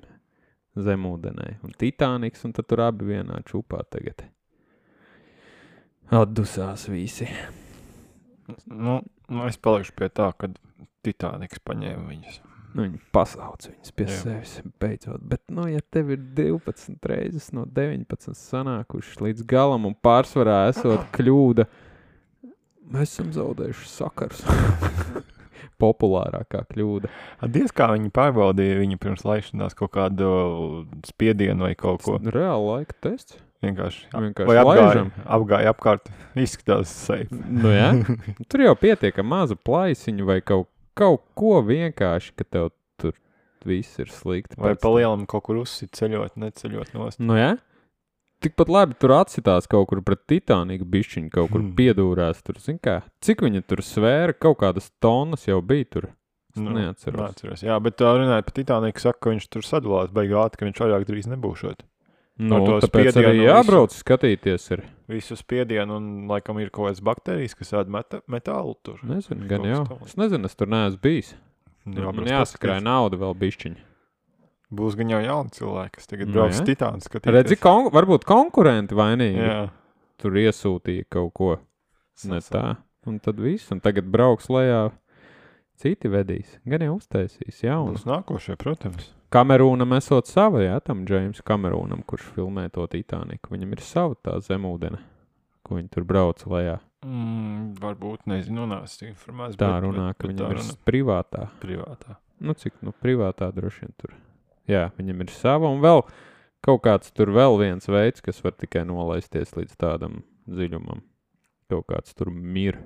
zemūdenē. Un Titāniks, un tad tur abi vienā čupā tagad. Atdusās visi. Nu, nu es palikšu pie tā, kad Titāniks paņēma viņus. Nu, viņi pasauc viņus pie jā. sevis beidzot. Bet, nu, ja tev ir divpadsmit reizes no deviņpadsmit sanākušas līdz galam un pārsvarā esot kļūda, mēs esam zaudējuši sakars. Populārākā kļūda. Diez kā viņi pārbaudīja viņu pirms laišanās kaut kādu spiedienu vai kaut ko. Reāli laika tests. Vienkārši. Vienkārši vai apgāja, laižam. apgāja apkārt. Izskatās safe. Nu jā. Tur jau pietiek maza plaisiņu vai kaut, kaut ko vienkārši, ka tev tur viss ir slikti. Vai pa lielam kaut kur uzsit ceļot, neceļot nost. Nu jā. Tikpat labi tur atsitās kaut kur pret Titāniku bišķiņu, kaut kur hmm. piedūrās tur, zin kā, cik viņa tur svēra, kaut kādas tonnas jau bija tur, es nu, neatceros. neatceros. Jā, bet tā runājot par Titāniku, saka, ka viņš tur sadalās beigāt, ka viņš vairāk drīz nebūšot. Nu, tāpēc arī jābrauc visu, skatīties ir. Visu spiedienu un laikam ir kaut kādas bakterijas, kas ēd meta, metālu tur. Nezinu, gan jau. Es nezinu, es tur neesmu bijis. Jā, man jāsakrāja nauda vēl bišķiņa. Būs gan jau jauni cilvēki, kas tagad brauc no, Titānu skatīties. Redzi, kon- varbūt konkurenti vainīgi. Jā. Tur iesūtīja kaut ko. Ne tā. Un tad viss. Un tagad brauks lejā. Citi vedīs. Gan jau uztaisīs jaunu. Būs nākošie, protams. Kamerūnam esot sava, jā, tam James Kamerūnam, kurš filmē to Titāniku. Viņam ir sava tā zemūdene, ko viņi tur brauc lejā. Mm, varbūt, nezinu, nāc informācijas. Tā bet, runā, bet, ka viņam ir runā. privātā. Privātā. Nu, cik, nu, privātā droši vien tur. Jā, viņam ir sava, un vēl kaut kāds tur vēl viens veids, kas var tikai nolaisties līdz tādam dziļumam. Kaut kāds tur mir.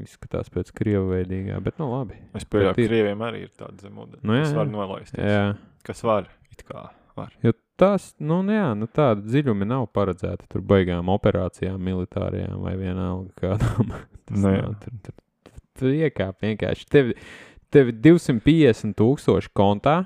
Izskatās pēc krievaveidīgā, bet nu labi. Es pieļauju, ka krieviem arī ir tāda zemūdene, nu, jā, kas var nolaisties. Jā. Kas var, it kā var. Jo tas, nu jā, nu tāda dziļumi nav paredzēta tur baigām operācijām, militārajām vai vienalga kādām. Tas nu, nav, tur, tur, tur, tur iekāp vienkārši. Tevi, tevi divsimt piecdesmit tūkstoši kontā.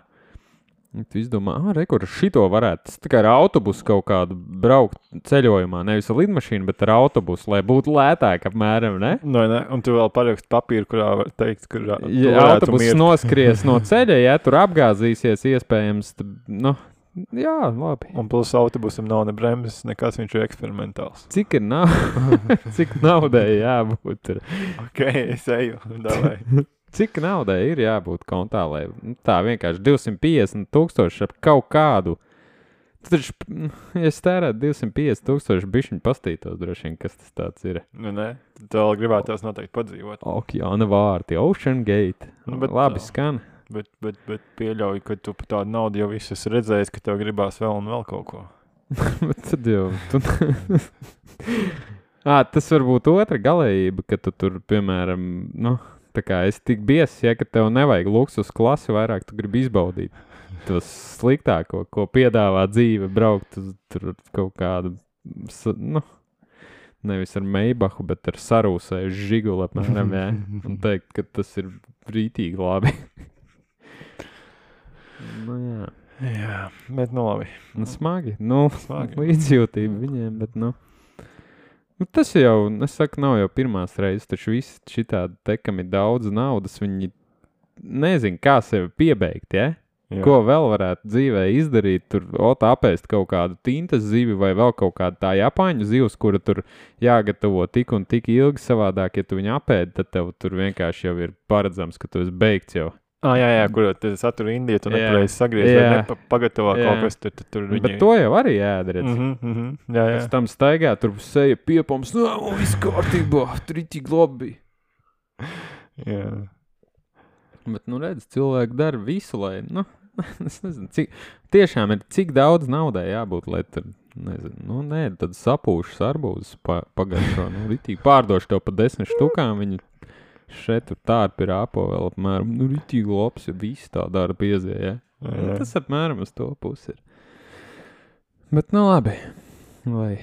Tu izdomā, ah, re, kur šito varētu, tas tā kā ar autobusu kaut kādu braukt ceļojumā, nevis ar lidmašīnu, bet ar autobusu, lai būtu lētāk apmēram, ne? No, ne, un tu vēl parakst papīru, kurā var teikt, kur ja autobuss noskries no ceļa, ja tur apgāzīsies iespējams, tad, nu, Jā, labi. Un plus autobusam nav ne bremzes, nekas, viņš ir eksperimentāls. Cik ir nav? Cik naudai jābūt? Ir? Ok, es eju, davai. Cik naudai ir jābūt kontā, lai nu, tā vienkārši divsimt piecdesmit tūkstoši ar kaut kādu. Tu taču, ja es tērētu divsimt piecdesmit tūkstoši bišķiņu pastītos droši vien, kas tas tāds ir. Nu, ne, tu vēl gribētos noteikti padzīvot. Okeāna vārti, Ocean Gate. Nu, bet, labi skan. Bet, bet, bet pieļauju, ka tu par tādu naudu jau visu esi redzējis, ka tev gribās vēl un vēl kaut ko. Bet tad jau... Tu... à, tas var būt otra galējība, ka tu tur, piemēram, nu, tā kā esi tik biesis, ja, ka tev nevajag luksus klasi vairāk, tu gribi izbaudīt to sliktāko, ko piedāvā dzīve, braukt uz tur kaut kādu, nu, nevis ar Meibahu, bet ar sarūsēju žiguli apmēram, jā, un teikt, ka tas ir rītīgi labi. Nu, jā. Jā, bet nu labi. Nu, smagi. Nu, Smagi. līdzjūtība viņiem, bet nu. Nu, tas jau, es saku, nav jau pirmās reizes, taču visi šitādi te, kam ir daudz naudas, viņi nezin, kā sevi piebeigt, ja? Jā. Ko vēl varētu dzīvē izdarīt, tur ot apēst kaut kādu tintas zivi vai vēl kaut kādu tā japāņu zivs, kura tur jāgatavo tik un tik ilgi savādāk, ja tu viņu apēdi, tad tev tur vienkārši jau ir paredzams, ka tu esi beigts jau. Ah, jā, jā, kur te satura Indiju, tu Jā. nepareizi sagriez, Jā. vai nepagatavā Jā. kaut kas, tur, tur, tur viņi... Bet to jau arī jādara. Mhm, mhm, jā, jā. Pēc tam staigā, tur seja piepams, nā, no, viss kārtībā, tur ir tik labi. Jā. Bet, nu, redz, cilvēki dara visu, lai, nu, es nezinu, cik, tiešām ir, cik daudz naudai jābūt, lai tur, nezinu, nu, nē, tad sapūšas arbūzes pa, pagaršo, nu, ritīgi pārdošu tev pa desmit štukām, viņi šeit tur tārpi ir āpo vēl apmēram, nu, ritīgi labs, ja visi tā dara piezie, ja? Jā. Nu, tas apmēram uz to pusi ir. Bet, nu, labi, lai,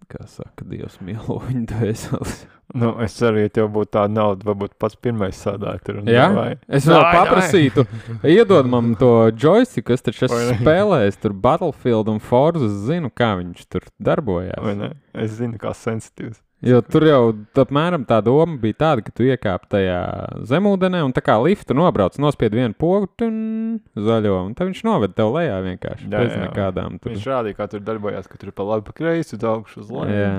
kā saka, Dievs mielo viņu dvēseles. Nu, es ceru, ja tev būtu tāda nauda, varbūt pats pirmais sādāt tur. Un Jā? vai... Es vēl Dai, paprasītu, iedod man to joystick, es taču Vai ne? esmu spēlējis tur Battlefield un Forza, zinu, kā viņš tur darbojās. Vai ne? Es zinu, kā sensitīvs. Jo tur jau apmēram tā doma bija tāda, ka tu iekāp tajā zemūdenē un tā kā liftu nobrauc, nospied vienu pogu tun, zaļo, un tad viņš noved tev lejā vienkārši. Jā, Bez jā. nekādām tur. Viņš rādīja, kā tur darbojās, ka tur pa labi pa kreisi, uz augšu uz leju. Jā.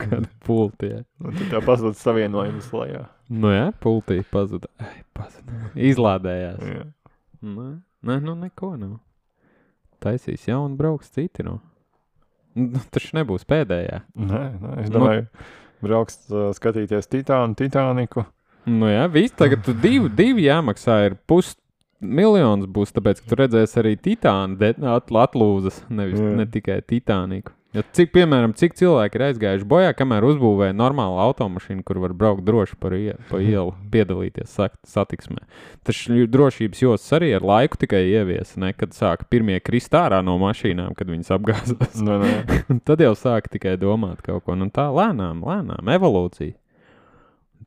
Kāda pulti, jā. Un tad tā pazūd savienojums lejā. Nu jā, pultī pazuda. Ai, pazuda. Izlādējās. Jā. Nē, nē, nu neko nav. Taisīs jaunu brauks citi, nu. Nu, taču nebūs pēdējā. Nē, nē, es Nu. domāju, brauks uh, skatīties Titānu, Titāniku. Nu jā, viss tagad tu divi, divi jāmaksā ir pus miljons būs, tāpēc, ka tu redzēsi arī Titānu de- at, atlūzas, nevis Jā. ne tikai Titāniku. Ja cik, piemēram, cik cilvēki ir aizgājuši bojā, kamēr uzbūvēja normālu automašīnu, kur var braukt droši par ie, pa ielu, piedalīties sak- satiksmē. Taču drošības jostas arī ar laiku tikai ieviesa, ne, kad sāka pirmie krist ārā no mašīnām, kad viņas apgāzās. Nu, nē. Un tad jau sāka tikai domāt kaut ko, nu tā lēnām, lēnām, evolūcija.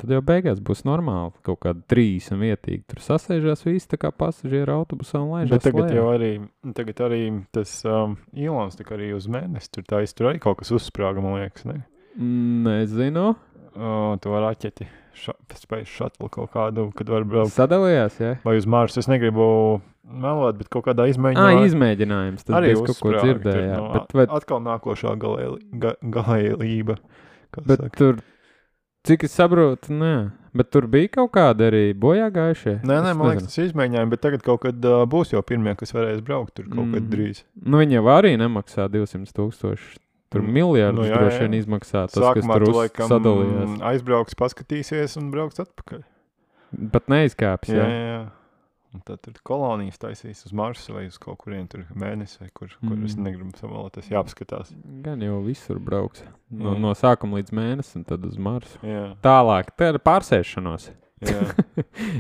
Tad jau beigās būs normāli, kaut kāda trīs un vietīgi. Tur sasēžās visi tā kā pasažieru autobusā un laižās Bet tagad lejā. jau arī, tagad arī tas um, Ilons tā kā arī uz mēnesi, tur tā tur arī kaut kas uzsprāga, man liekas, ne? Nezinu. O, to raķeti, ša, space shuttle kaut kādu, kad var braukt. Sadalījās, jā? Vai uz Marsu, es negribu melot, bet kaut kādā Ā, izmēģinājumā. izmēģinājums. Tas arī bija kaut ko uzsprāga tur, dzirdējāt. nu, Bet, vai, Atkal nākošā galēli, ga, galēlība. Kā bet saka. tur, cik es saprotu, nē. Bet tur bija kaut kāda arī bojā gājušie. Nē, nē, Es man liekas, nezinu. tas izmēģinājumi, bet tagad kaut kad uh, būs jau pirmie, kas varēs braukt tur kaut kad Mm. drīz. Nu, viņi jau arī nemaksā divsimt tūkstoši. Tur Mm. miljardus Nu, nu, jā, droši jā. vien izmaksā tas, Sākumā kas tur tu uz- laikam sadalījās. aizbrauks, paskatīsies un brauks atpakaļ. Pat neizkāps, Jā, jā. jā, jā. Un tad tur kolonijas taisīs uz Marsu vai uz kaut kurien tur mēnesi, vai kur, kur Mm. es negribu samalot, tas jāpaskatās. Gan jau visur brauks. No, Jā. no sākuma līdz mēnesim, tad uz Marsu. Jā, Tālāk, tā ir pārsēšanos, jā.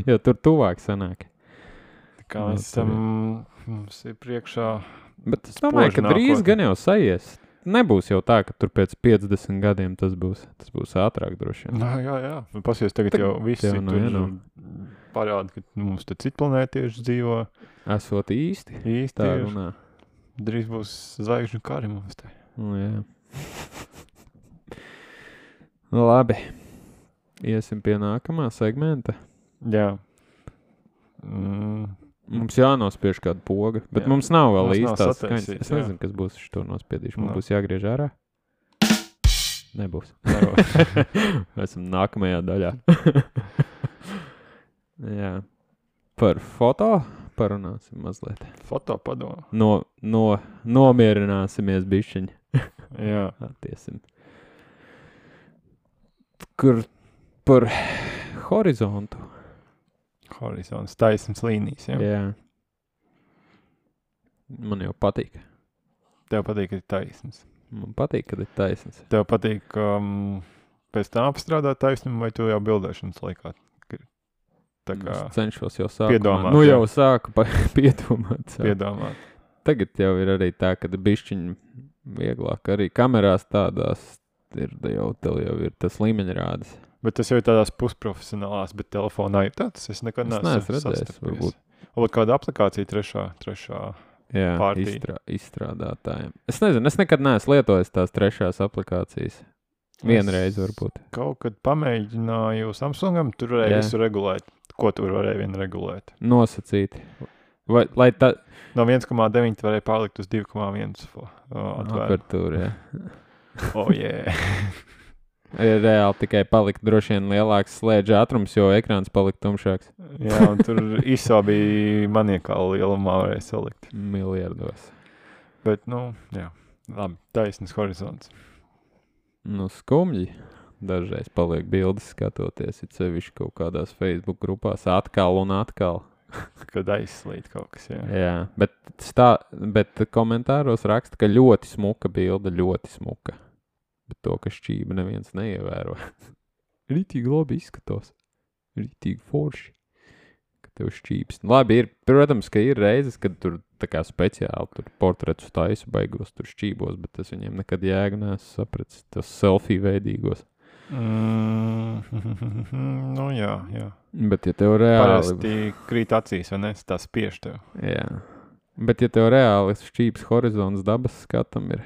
jo tur tuvāk sanāk. Tā kā Nu, mēs tur esam, mums ir priekšā, Bet es domāju, ka Spoži drīz nākotne. gan jau sajies. Nebūs jau tā, ka tur pēc piecdesmit gadiem tas būs. Tas būs ātrāk droši vien. nā, jā, jā. Nu, pasies tagad Tagad jau visi jau, nu, tur jā, nu. parāda, ka mums te citi planētieši dzīvo Esot īsti. īsti. Tā ir. runā. Drīz būs zvaigžņu kari mums te. Nu, jā. Nu, labi. Iesim pie nākamā segmenta. Jā. Mm. Mums jānospiež kāda poga, bet Jā. mums nav vēl Mums nav īstās sataisīts, skaņas. Es jā. nezinu, kas būs šo nospiedīšu. Mums No. būs jāgriež ārā? Nebūs. Nebūs. Esam nākamajā daļā. Jā. Par foto parunāsim mazliet. Foto padomu. No, no, nomierināsimies bišķiņi. Jā. Attiesim. Kur par horizontu. Horizons, taisnas līnijas, jā. Jā. Man jau patīk. Tev patīk, ka ir taisnas. Man patīk, kad ir taisns. Tev patīk um, pēc tam apstrādāt taisnumu, vai tu jau bildēšanas laikā? Tā kā Es cenšos jau sākumā. piedomāt, Nu jā. jau sāku pa, piedomāt. Sāku. piedomāt. Tagad jau ir arī tā, ka bišķiņi vieglāk arī kamerās tādās ir, jau, tev jau ir tas līmeņrādes. Bet tas jau ir tādās pusprofesionālās, bet telefonā ir tāds. Es nekad Es neesmu neesmu redzējis, sastapies. varbūt. Varbūt kāda aplikācija trešā, trešā. Jā, Pārtī. izstrā, izstrādātājiem. Es nezinu, es nekad neesmu lietojis tās trešās aplikācijas. Vienreiz varbūt. Kaut kad pamēģināju Samsungam, tur varēja Jā. visu regulēt. Ko tur varēja vien regulēt? Nosacīti. Vai, lai tā No viens komā deviņi tu varēja pārlikt uz divi komā viens atvērt. apertūra, jā. Oh, yeah. Ir reāli tikai palikt droši vien lielāks slēdža ātrums, jo ekrāns palika tumšāks. Jā, un tur īsā bija maniekāla lielumā varēja salikt. Miljardos. Bet, nu, jā, labi, taisnas horizons. Nu, skumji. Dažreiz paliek bildes skatoties, it sevišķi kaut kādās Facebook grupās atkal un atkal. Kad aizslīt kaut kas, jā. Jā, bet, stā, bet komentāros raksta, ka ļoti smuka bilde, ļoti smuka. Bet to, ka šķība neviens neievēro. Rītīgi labi izskatos. Rītīgi forši. Ka tev šķības. Labi, ir, protams, ka ir reizes, kad tur tā kā speciāli tur portretus taisu baigos tur šķībos, bet es viņiem nekad jēgu neesmu sapratis. Tos selfie veidīgos. Mm, nu, jā, jā. Bet ja tev reāli... Parasti krīt acīs, vai ne? Tā spiež tev. Jā. Bet ja tev reāli šķības horizons dabas skatam ir,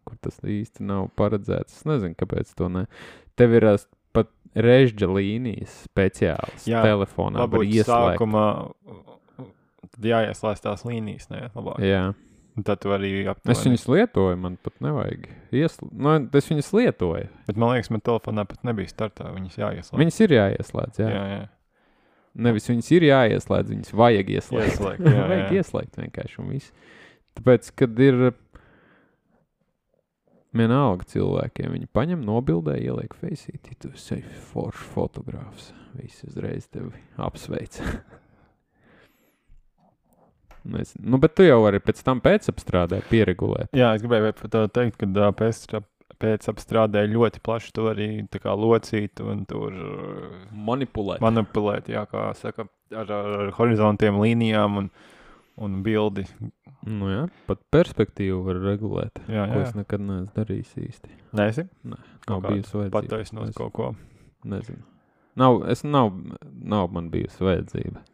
kur tas īsti nav paredzēts, es nezinu, kāpēc to ne. Tev ir ās pat režģa līnijas speciāls Jā, telefonā, var Varbūt ieslēgt. sākumā tad jāieslēdz tās līnijas, ne? Labāk. Jā. Un tad tu arī aptuveni. Es viņas lietoju, man pat nevajag. Iesl... Nu, es viņas lietoju. Bet man liekas, man telefonā pat nebija startā, viņas jāieslēdz. Viņas ir jāieslēdz, jā. Jā, jā. Nevis viņas ir jāieslēdz, viņas vajag ieslēgt. Ieslēgt, jā, vajag jā. ieslēgt vienkārši un viss. Tāpēc, kad ir vienalga cilvēkiem, viņi paņem, nobildē, ieliek feisītī, tu esi foršs fotogrāfs. Visi uzreiz tevi apsveic. Nezinu. Nu, bet tu jau vari pēc tam pēcapstrādē pieregulēt. Jā, es gribēju par to teikt, ka ā, pēc, pēc apstrādē ļoti plaši to arī tā kā locīt un tur ā, Manipulēt. manipulēt, jā, kā saka, ar, ar, ar horizontiem līnijām un, un bildi. Nu jā, pat perspektīvu var regulēt. Jā, Ko jā. es nekad neesmu darījis īsti. Neesi? Nē, Kaut nav kādu bijusi vajadzība. Pataisnot Es kaut ko. Nezinu. Nav, es nav, nav man bijusi vajadzība.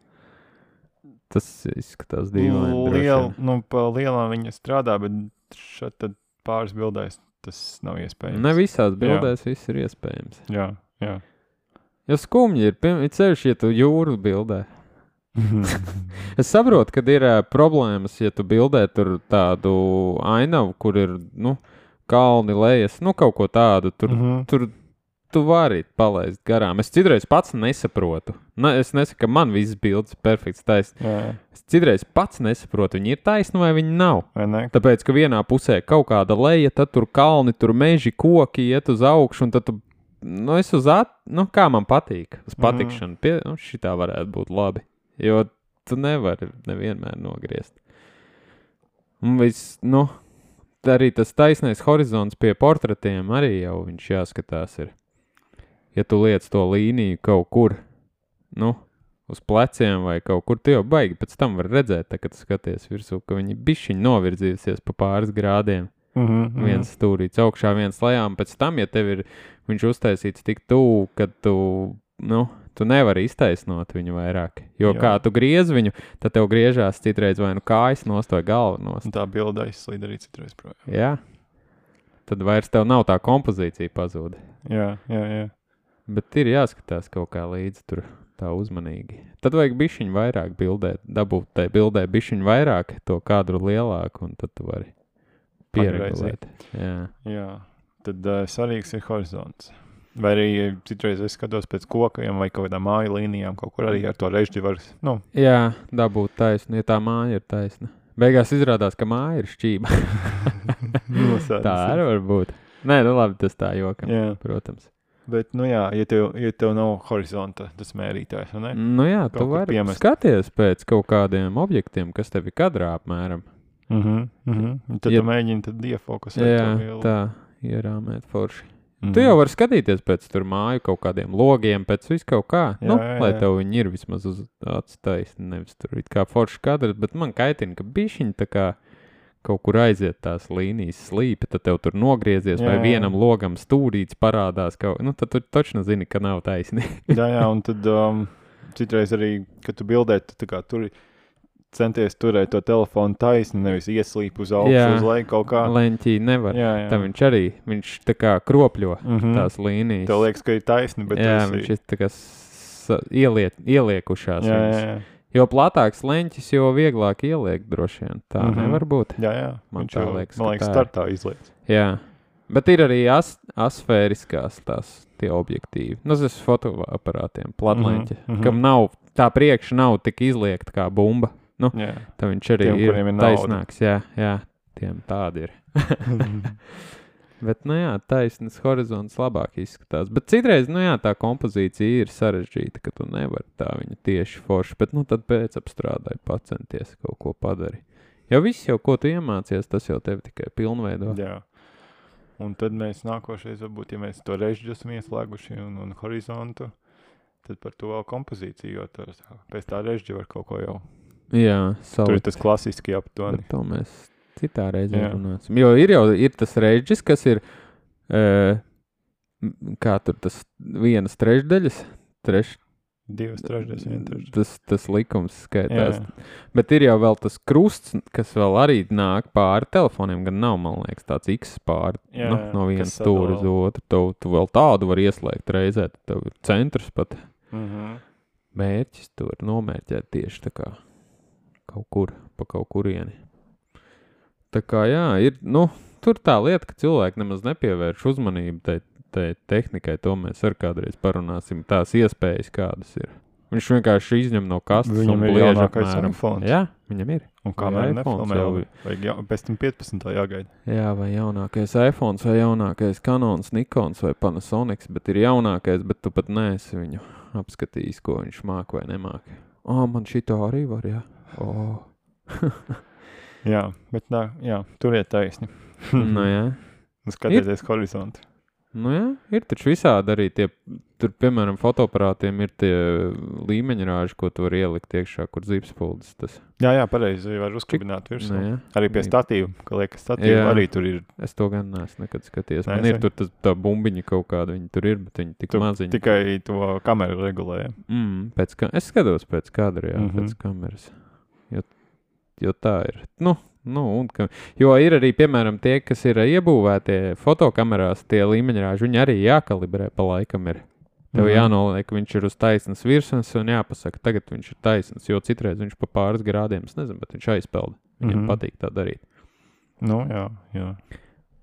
Tas izskatās dīvaini. droši Liel, vien. nu, pa lielām viņa strādā, bet šeit tad pāris bildēs tas nav iespējams. Ne visās bildēs viss ir iespējams. Jā, jā. Jo skumji ir, piem- ir ceļš, ja tu jūru bildē. Es saprotu, kad ir uh, problēmas, ja tu bildē tur tādu ainavu, kur ir, nu, kalni lejas, nu, kaut ko tādu, tur, Mhm. tur tu vari palaist garām. Es citreiz pats nesaprotu. Ne, es nesaku, ka man visas bildes ir perfekts taisn. Jā, Es citreiz pats nesaprotu, viņi ir taisni vai viņi nav. vai ne? Tāpēc, ka vienā pusē kaut kāda leja, tad tur kalni, tur meži, koki iet uz augšu, un tad tu, nu, es uz at, nu, kā man patīk, uz patikšanu, pie, nu, šitā varētu būt labi, jo tu nevari nevienmēr nogriezt. Un viss, nu, arī tas taisnais horizons pie portretiem arī jau viņš jāskatās ir. Ja tu liec to līniju kaut kur, nu, uz pleciem vai kaut kur, tu jau baigi pēc tam var redzēt, tā, kad tu skaties virsū, ka viņi bišķiņ novirzījusies pa pāris grādiem. Mhm, mhm. Viens stūrīts augšā, viens lejā, un pēc tam, ja tev ir viņš uztaisīts tik tuvu, kad tu, nu, tu nevari iztaisnot viņu vairāk. Jo Jā. kā tu griez viņu, tad tev griežās citreiz vai nu kājas nost vai galva nost. Un tā bilde aizslīd arī citreiz projām. Jā. Tad vairs tev nav tā kompozīcija pazūda. Jā, jā, jā. Bet ir jāskatās kaut kā līdzi tur tā uzmanīgi. Tad vajag bišķiņu vairāk bildēt, dabūt tai bildē bišķiņu vairāk, to kadru lielāku, un tad tu vari pieregulēt. Jā. Jā, tad uh, svarīgs ir horizonts. Vai arī citreiz es skatos pēc kokajiem vai kaut kādām māju līnijām, kaut kur arī ar to režģi var, nu. Jā, dabūt taisnu, ja tā māja ir taisna. Beigās izrādās, ka māja ir šķība. Tā arī var būt. Nē, nu labi, tas tā jokam, jā. Protams. Bet, nu jā, ja tev, ja tev nav horizonta, tas mērītājs, vai ne? Nu jā, kaut tu vari piemest. Skaties pēc kaut kādiem objektiem, kas tevi kadrā apmēram. Mhm, mhm. Tad ja, tu mēģini tad iefokusēt. Jā, tā, ierāmēt forši. Mm. Tu jau vari skatīties pēc tur māju kaut kādiem logiem, pēc visu kaut kā. Jā, nu, jā, lai tev viņi ir vismaz uz atstais, nevis tur it kā forši kadrs, bet man kaitina, ka bišķiņi tā kā kaut kur aiziet tās līnijas slīpi, tad tev tur nogriezies, jā, vai vienam jā. Logam stūrīts parādās kaut, nu tad tu točno zini, ka nav taisni. jā, jā, un tad um, citreiz arī, kad tu bildē, tu tā kā tur centies turēt to telefonu taisni, nevis ieslīp uz augšu, jā, uz leju kaut kā. Leņķī nevar. Jā, jā. Tā viņš arī, viņš tā kā kropļo mm-hmm. tās līnijas. Tev liekas, ka ir taisni, bet jā, tas viņš ir tā kā s- ieliet, ieliekušās. Jā, jā, jā. Jo platāks leņķis, jo vieglāk ieliek droši vien. Tā mm-hmm. nevar būt. Jā, jā. Man viņš tā jau, liekas, man liekas, tā startā izliec. Jā. Bet ir arī as- asfēriskās tās tie objektīvi. Nu, tas fotoaparātiem, platleņķi, mm-hmm. kam nav, tā priekša nav tik izliekta kā bumba. Nu, jā. Tā viņš arī tiem, ir, ir taisnāks. Jā, jā, tiem tādi ir. Bet, nu jā, taisnes horizonts labāk izskatās. Bet citreiz, nu jā, tā kompozīcija ir sarežģīta, ka tu nevari tā viņu tieši forši, bet, nu, tad pēc apstrādāji pacenties kaut ko padari. Jo viss jau, ko tu iemācies, tas jau tevi tikai pilnveido. Jā. Un tad mēs nākošais, varbūt, ja mēs to režģi esam ieslēguši un, un horizontu, tad par to vēl kompozīciju, jo tas, pēc tā režģi var kaut ko jau. Jā, salikt. Tur ir tas klasiski aptuveni. Bet to mēs citā reizē runāsim. Jo ir jau ir tas režģis, kas ir, e, kā tur tas vienas trešdaļas, treš, divas trešdaļas, viena trešdaļas. Tas, tas likums skaitās. Jā. Bet ir jau vēl tas krusts, kas vēl arī nāk pāri telefoniem, gan nav, man liekas, tāds X pāri, jā, nu, no vienas stūra uz otru. Tu, tu vēl tādu var ieslēgt reizē, tad tev ir centrs pat. Mhm. Mērķis tu var nomērķēt tieši tā kā kaut kur, pa kaut kurieni. Tā kā jā, ir, nu, tur tā lieta, ka cilvēki nemaz nepievērš uzmanību tai, tai tehnikai, to mēs ar kādreiz parunāsim, tās iespējas kādas ir. Viņš vienkārši izņem no kastes viņam un bliež apmēram. iPhone. Jā, viņam ir. Un kamēr nefilmē, vajag jau, pēc tam piecpadsmitā jāgaida. Jā, vai jaunākais iPhones, vai jaunākais Canons, Nikons vai Panasonics, bet ir jaunākais, bet tu pat neesi viņu apskatījis, ko viņš māk vai nemāk. Ā, man šito arī var, jā. O. Jā, bet nā, jā, turiet taisni. Nu jā. Skatieties horizontu. Nu jā, ir taču visādi arī tie, tur, piemēram, fotoaparātiem ir tie līmeņrāži, ko tu var ielikt iekšā, kur zipspuldes tas. Jā, jā, pareizi, var uzkabināt virsū. Nu, jā. Arī pie statīva, ka liekas statīva, arī tur ir. Es to gan neesmu nekad skaties. Man ir tur tas, tā bumbiņa kaut kāda, viņi tur ir, bet viņi tik tu maziņi. Tikai to kameru regulē. Mm, pēc ka... Es skatos pēc kadra, jā, mm-hmm. pēc kameras. Jo, jo tā ir. Nu, nu, un ka... Jo ir arī, piemēram, tie, kas ir iebūvētie fotokamerās, tie līmeņrāži, viņi arī jākalibrē pa laikam ir. Tev mm-hmm. jānoliek, viņš ir uz taisnas virsmas un jāpasaka, tagad viņš ir taisnas, jo citreiz viņš pa pāris grādiem, es nezinu, bet viņš aizpelda. Viņam mm-hmm. patīk tā darīt. Nu, jā, jā.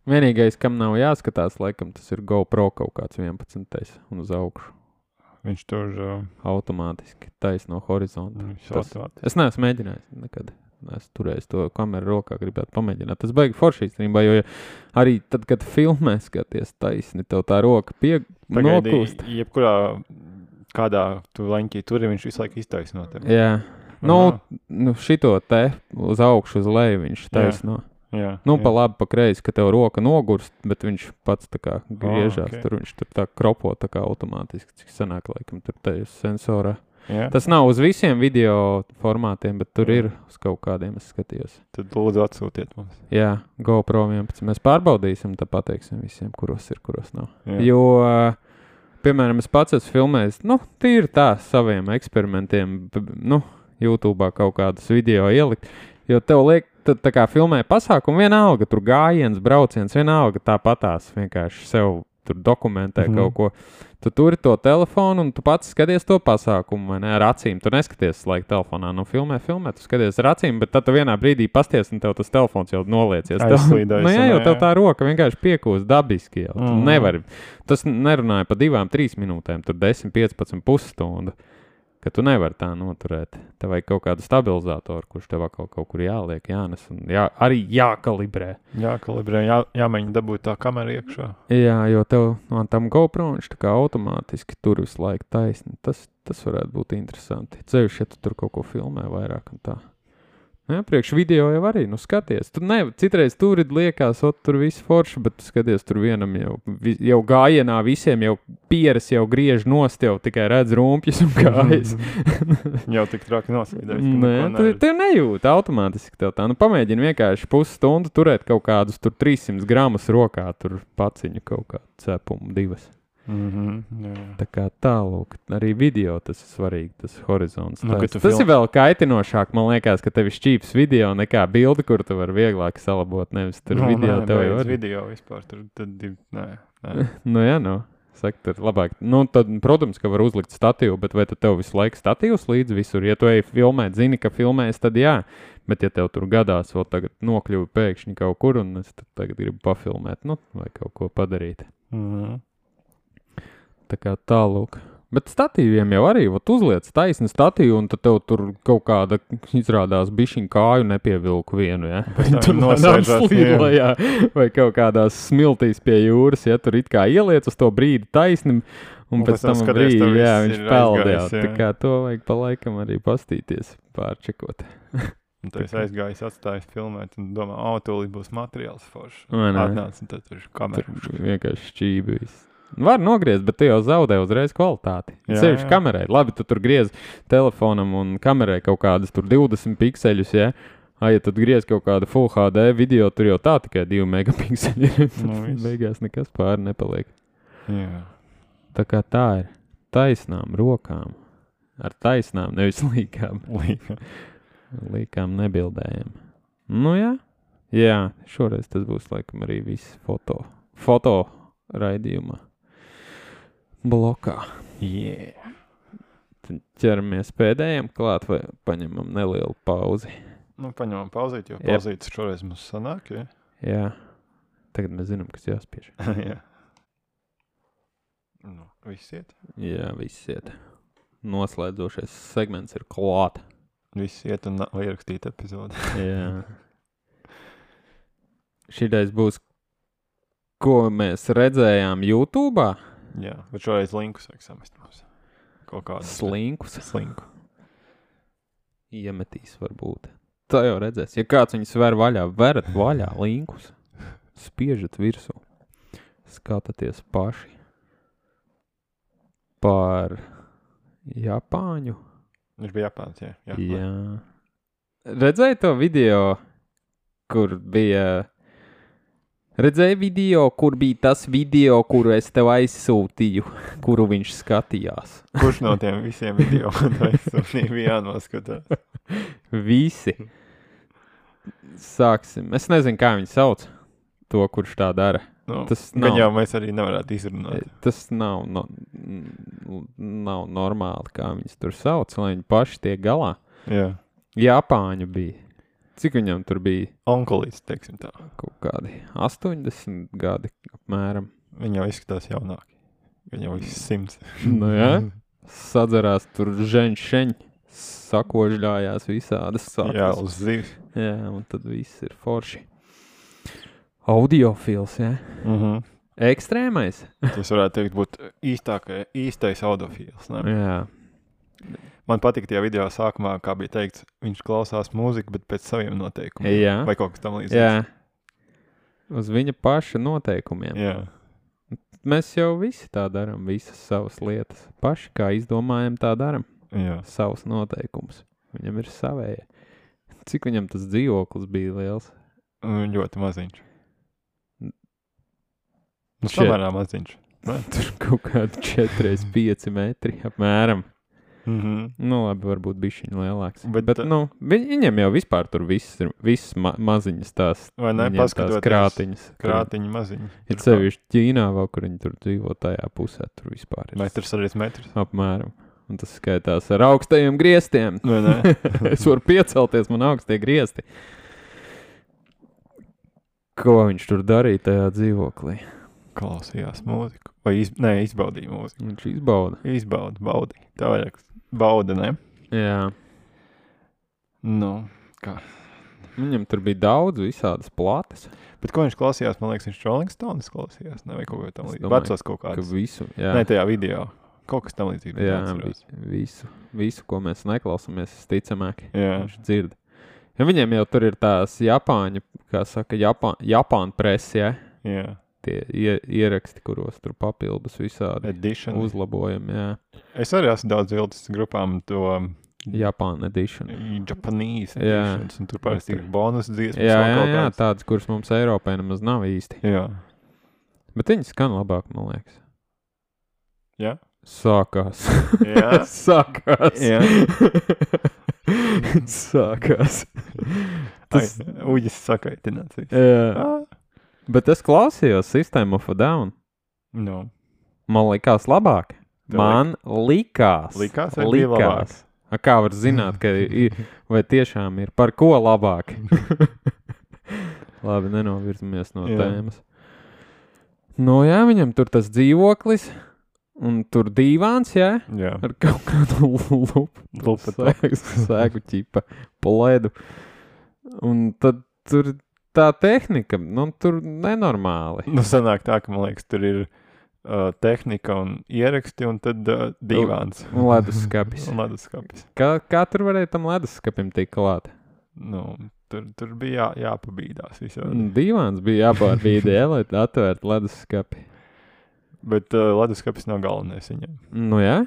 Vienīgais, kam nav jāskatās, laikam, tas ir GoPro kaut kāds vienpadsmitais un uz augšu. Viņš tur... Uh... Automātiski taisno horizontu. Tas, es neesmu mēģinājis nekad. Es turēju to kameru rokā, gribētu pamēģināt. Tas baigi forši īstenībā, jo arī tad, kad filmē skaties taisni, tev tā roka pie Pagaidi, nokūst. Jebkurā kādā tu leņķī turi, viņš visu laiku iztaisno tevi. Jā. Nu, nu, šito te uz augšu, uz leju viņš taisno. Jā, jā, nu, jā. pa labi, pa kreisi, ka tev roka nogurst, bet viņš pats tā kā griežās. Oh, okay. Tur viņš tur tā kropo tā kā automātiski, cik sanāk laikam tur tajos sensorā. Jā. Tas nav uz visiem video formātiem, bet tur jā. Ir uz kaut kādiem, es skatījos. Tad lūdzu atsūtiet mums. Jā, GoPro vienpadsmit. Mēs pārbaudīsim, tad pateiksim visiem, kuros ir, kuros nav. Jā. Jo, piemēram, es pats esmu filmējis, nu, tīri tā saviem eksperimentiem, nu, YouTube'ā kaut kādus video ielikt, jo tev liek, tad tā kā filmē pasākumu vienalga, tur gājiens, brauciens, vienalga tāpatās vienkārši sev tur dokumentē Mhm. kaut ko. Tu turi to telefonu un tu pats skaties to pasākumu, vai ne, ar acīm. Tu neskaties laika telefonā, nu filmē, filmē, tu skaties ar acīm, bet tad tu vienā brīdī pasties un tev tas telefons jau noliecies. Tev- Aizslīdējis, Nu jā, un jau jā, tev jā. tā roka vienkārši piekūst dabiski jau. Tu Mhm. nevari. Tas nerunāja pa divām, trīs minūtēm, tur desmit, piecpadsmit pusstundu. Ka tu nevari tā noturēt. Tev vajag kaut kādu stabilizatoru, kurš tev atkal kaut kur jāliek, jānes un jā, arī jākalibrē. Jā, kalibrē, jā, jāmēģina dabūt tā kamera iekšā. Jā, jo tev no tam GoPro viņš tā kā automātiski tur visu laiku taisni. Tas, tas varētu būt interesanti. Ceļš, ja tu tur kaut ko filmē vairāk un tā. Jā, priekš video jau arī, nu skaties. Tu ne, citreiz tur ir liekas, ot, tur viss forši, bet tu skaties tur vienam jau, vi, jau gājienā visiem jau pieres jau griež nost, jau tikai redz rumpjas un kājas. Jau tik traki noslīdējis. Nē, tu, tu nejūti automātiski tev tā. Nu, pamēģini vienkārši pusstundu turēt kaut kādus tur trīssimtus gramus rokā, tur paciņu kaut kādu cepumu divas. Mm -hmm, jā. Tā kā tālūk, arī video tas ir svarīgi, tas horizons. Nu, Nu, kad tu tas film- ir vēl kaitinošāk, man liekas, ka tev ir šķīps video nekā bildi, kur tu vari vieglāk salabot, nevis tur Nu, video nē, tev jau beidz ir. video vispār, tur tad ir, nē, nē. Nu jā, nu, saka, tur labāk. Nu, tad, protams, ka var uzlikt statīvu, bet vai tad tev visu laiku statīvs līdzi visur? Ja tu ej filmēt, zini, ka filmēs, tad jā. Bet ja tev tur gadās, vēl tagad nokļuvi pēkšņi kaut kur, un es tad tagad gribu pafilmēt, nu, vai kaut ko padarīt. Mm -hmm. Tā kā tālūk. Bet statīviem jau arī, vat uzliec taisnu statīvu, un tad tev tur kaut kāda izrādās bišķiņ kāju nepievilku vienu, ja? Pēc tam Tur nosēžās, lēnām slīd lejā, vai kaut kādās smiltīs pie jūras, ja tur it kā ieliec uz to brīdi taisnim, un, Un pēc pēc tam tam skaties, brīdi, tev jā, viss viņš ir peld, jā. aizgājis, jā. Tā kā to vajag pa laikam arī pastīties, pārčekot. Un tu esi aizgājis, atstājis filmēt, un domā, o, tūlīt būs materiāls foršs. Vai ne? Atnāc, un tad tur ir Tur kamera. vienkārši šķībi viss. Var nogriezt, bet tu jau zaudē uzreiz kvalitāti. Jā, Ceļš jā. kamerai. Labi, tu tur griez telefonam un kamerai kaut kādas tur divdesmit pikseļus, ja? Ai, ja tu griez kaut kādu Full H D video, tur jau tā tikai divi megapikseļi. Nu, viss. Beigās nekas pāri nepaliek. Jā. Tā kā tā ir. Taisnām rokām. Ar taisnām, nevis līkām. Līka. Līkām nebildējam. Nu jā. Jā, šoreiz tas būs laikam arī viss foto. Foto raidījumā. Blokā. Yeah. Tad ķeramies pēdējiem klāt vai paņemam nelielu pauzi. Nu, paņemam pauzīt, jo Jep. pauzītas šoreiz mums sanāk, ja? Jā. Tagad mēs zinām, kas jāspiež. Jā. Nu, viss iet. Jā, viss iet. Noslēdzošais segments ir klāt. Viss iet un nav ierakstīt epizodi. Jā. Šitais būs, ko mēs redzējām YouTube'ā. Jā, bet šoreiz linkus vajag samest mums. Kaut kādu Slinkus. slinku. Iemetīs varbūt. Tā jau redzēs. Ja kāds viņus ver vaļā, verat vaļā linkus. Spiežat virsū. Skatāties paši. Par Japāņu. Viņš bija Japāns, jā. jā. Jā. Redzēji to video, kur bija... Redzēji video, kur bija tas video, kuru es tev aizsūtīju, kuru viņš skatījās. Kurš no tiem visiem video bija jānoskatās? Visi. Sāksim. Es nezinu, kā viņi sauc to, kurš tā dara. Nu, Tas gan nav. jau mēs arī nevarētu izrunāt. Tas nav, no, nav normāli, kā viņus tur sauc, lai viņi paši tiek galā. Jā. Japāņu bija. Cik viņam tur bija? Onkulīts, teiksim tā. Kaut kādi astoņdesmit gadi apmēram. Viņi jau izskatās jaunāki. Viņi jau viss simts. Nu jā, sadzerās tur ženšeņi, sakožļājās visādas sakas. Jā, uz zivs. Jā, un tad viss ir forši. Audiofils, jā. Mhm. Ekstrēmais. Tas varētu teikt būt īstākai, īstais audofīls. Ne? Jā. Man patika tie video sākumā, kā bija teikts, viņš klausās mūziku, bet pēc saviem noteikumiem. Jā. Vai kaut kas tam līdzīgs. Jā. Uz viņa paša noteikumiem. Jā. Mēs jau visi tā daram, visas savas lietas. Paši kā izdomājam, tā daram. Jā. Savus noteikumus. Viņam ir savēja. Cik viņam tas dzīvoklis bija liels? Un ļoti maziņš. Nu, Čet- samērā maziņš. Ne? Tur kaut kādi četri pieci metri apmēram. Mhm. Nu, labi, varbūt bišķiņi lielāks. Bet, Bet, bet nu, vi- viņiem jau vispār tur viss ir, visas ma maziņas tās, Vai ne, viņiem tās paskatoties krātiņas. kur- krātiņi maziņi. Ir sevišķi Ķīnā, vēl, kur viņi tur dzīvo tajā pusē, tur vispār ir Metrs arī metrs. apmēram. Un tas skaitās ar augstajiem griestiem. Vai ne? Es varu piecelties, man augstie griesti. Ko viņš tur darīja tajā dzīvoklī? Klausījās mūziku. Vai iz... Nē, izbaudīja mūziku. Viņš izbauda. Izbauda, baudīja. Tā vajag. Bauda, ne? Jā. Nu, kā? Viņam tur bija daudz visādas plates. Bet ko viņš klausījās? Man liekas, viņš Rolling Stones klausījās. Ne, vai kaut ko tam Es līdzīgu. domāju, Vecos kaut Ka kāds. visu, jā. Nē, tajā video. Kaut kas tam līdzīgs. Jā, vi- visu, visu, ko mēs neklausāmies, ticamāk, Jā. viņš dzird. Ja viņiem jau tur ir tās Japāņu, kā saka, Japā, Japāņu presi, ja? Jā. Tie ie, ieraksti, kuros tur papildus visādi Edition. uzlabojumi, jā. Es arī esmu daudz viltis grupām to Japāņu edition. Japanese Jā. editions, un tur parasti ir bonus dziesmas. Jā, vēl jā, kaut jā, kādas. tādas, kuras mums Eiropā nemaz nav īsti. Jā. Bet viņi skan labāk, man liekas. Jā. Sākās. Jā. Sākās. Jā. Sākās. Tas... Tas, Uģis sakaitināts. viss. jā. Ah. Bet es klausījos System of a Down. No. Man likās labāk. Tev Man likās. Likās vai bija labāks? A, kā var zināt, ka ir, vai tiešām ir par ko labāk? Labi, nenovirzamies no Jā. tēmas. Nu jā, viņam tur tas dzīvoklis, un tur dīvāns, jā, Jā. ar kaut kādu lupu, Lupa sēgu, sēgu ķipa, pledu. Un tad tur tā tehnika, nu tur nenormāli. Nu, sanāk tā, ka, man liekas, tur ir uh, tehnika un ieraksti, un tad uh, divāns. Un leduskapis. Un leduskapis. Kā, kā tur varēja tam leduskapim tikt klāt? Nu, tur, tur bija jā, jāpabīdās visādi. Un Dīvāns bija jāpārbīdē, ja, lai atvērtu leduskapi. Bet uh, leduskapis nav galvenais viņam, Nu jā?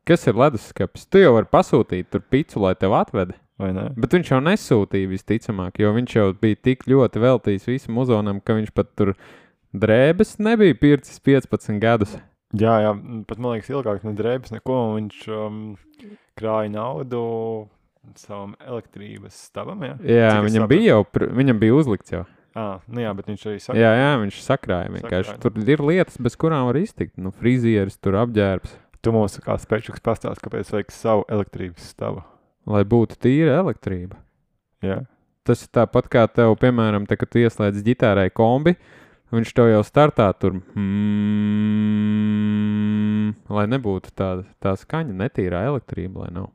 Kas ir leduskapis? Tu jau vari pasūtīt tur picu, lai tev atveda. vai ne? Bet viņš jau nesūtīja visticamāk, jo viņš jau bija tik ļoti veltījis visam uzonam, ka viņš pat tur drēbes nebija pircis piecpadsmit gadus. Jā, jā, pat man liekas ilgāk ne drēbes neko, un viņš um, krāja naudu savam elektrības stāvam, jā? Jā, Cik es viņam sapratu? bija jau, pr- viņam bija uzlikts jau. Ā, nu jā, bet viņš arī saka, Jā, jā, viņš sakrāja vienkārši. Sakrāja. Tur ir lietas, bez kurām var iztikt. Nu, frizieris, tur apģērbs. tu mums kā spečuks pastāst, kāpēc vajag savu elektrības stavu. Lai būtu tīra elektrība. Jā. Tas ir tāpat kā tev, piemēram, te, kad tu ieslēdz ģitārai kombi, viņš tev jau startā tur, mm, lai nebūtu tā, tā skaņa, netīrā elektrība, lai nav.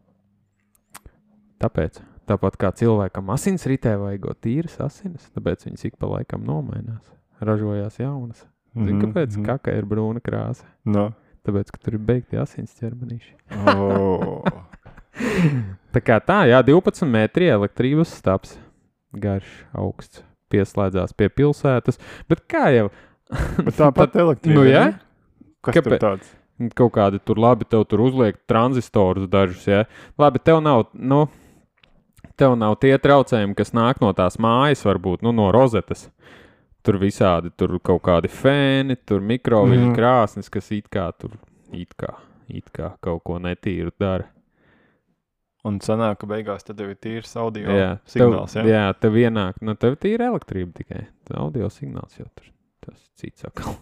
Tāpēc, tāpat kā cilvēkam asinsritē vajagot tīras asinis, tāpēc viņas ik pa laikam nomainās, ražojās jaunas. Zini, Mhm, kāpēc mhm. kaka ir brūna krāsa? No. Tāpēc, ka tur ir beigti asins ķermenīši. Oh. Tā kā tā, jā, divpadsmit metri elektrības stāps, garš, augsts, pieslēdzās pie pilsētas, bet kā jau, Bet tāpat elektrība. nu jā, ne? Kas Kāpēc? tur tāds? kaut kādi tur labi, tev tur uzliek tranzistorus dažus, jā, labi, tev nav, nu, tev nav tie traucējumi, kas nāk no tās mājas, varbūt, nu, no rozetes, tur visādi, tur kaut kādi fēni, tur mikroviļu Mhm. krāsnes, kas it kā tur, it kā, it kā kaut ko netīru dara. Un sanāk, ka beigās tad tev ir tīrs audio Jā, signāls, tev, jā? jā, tev ienāk, nu tev tīra elektrība tikai, audio signāls jau tur, tas cits atkal.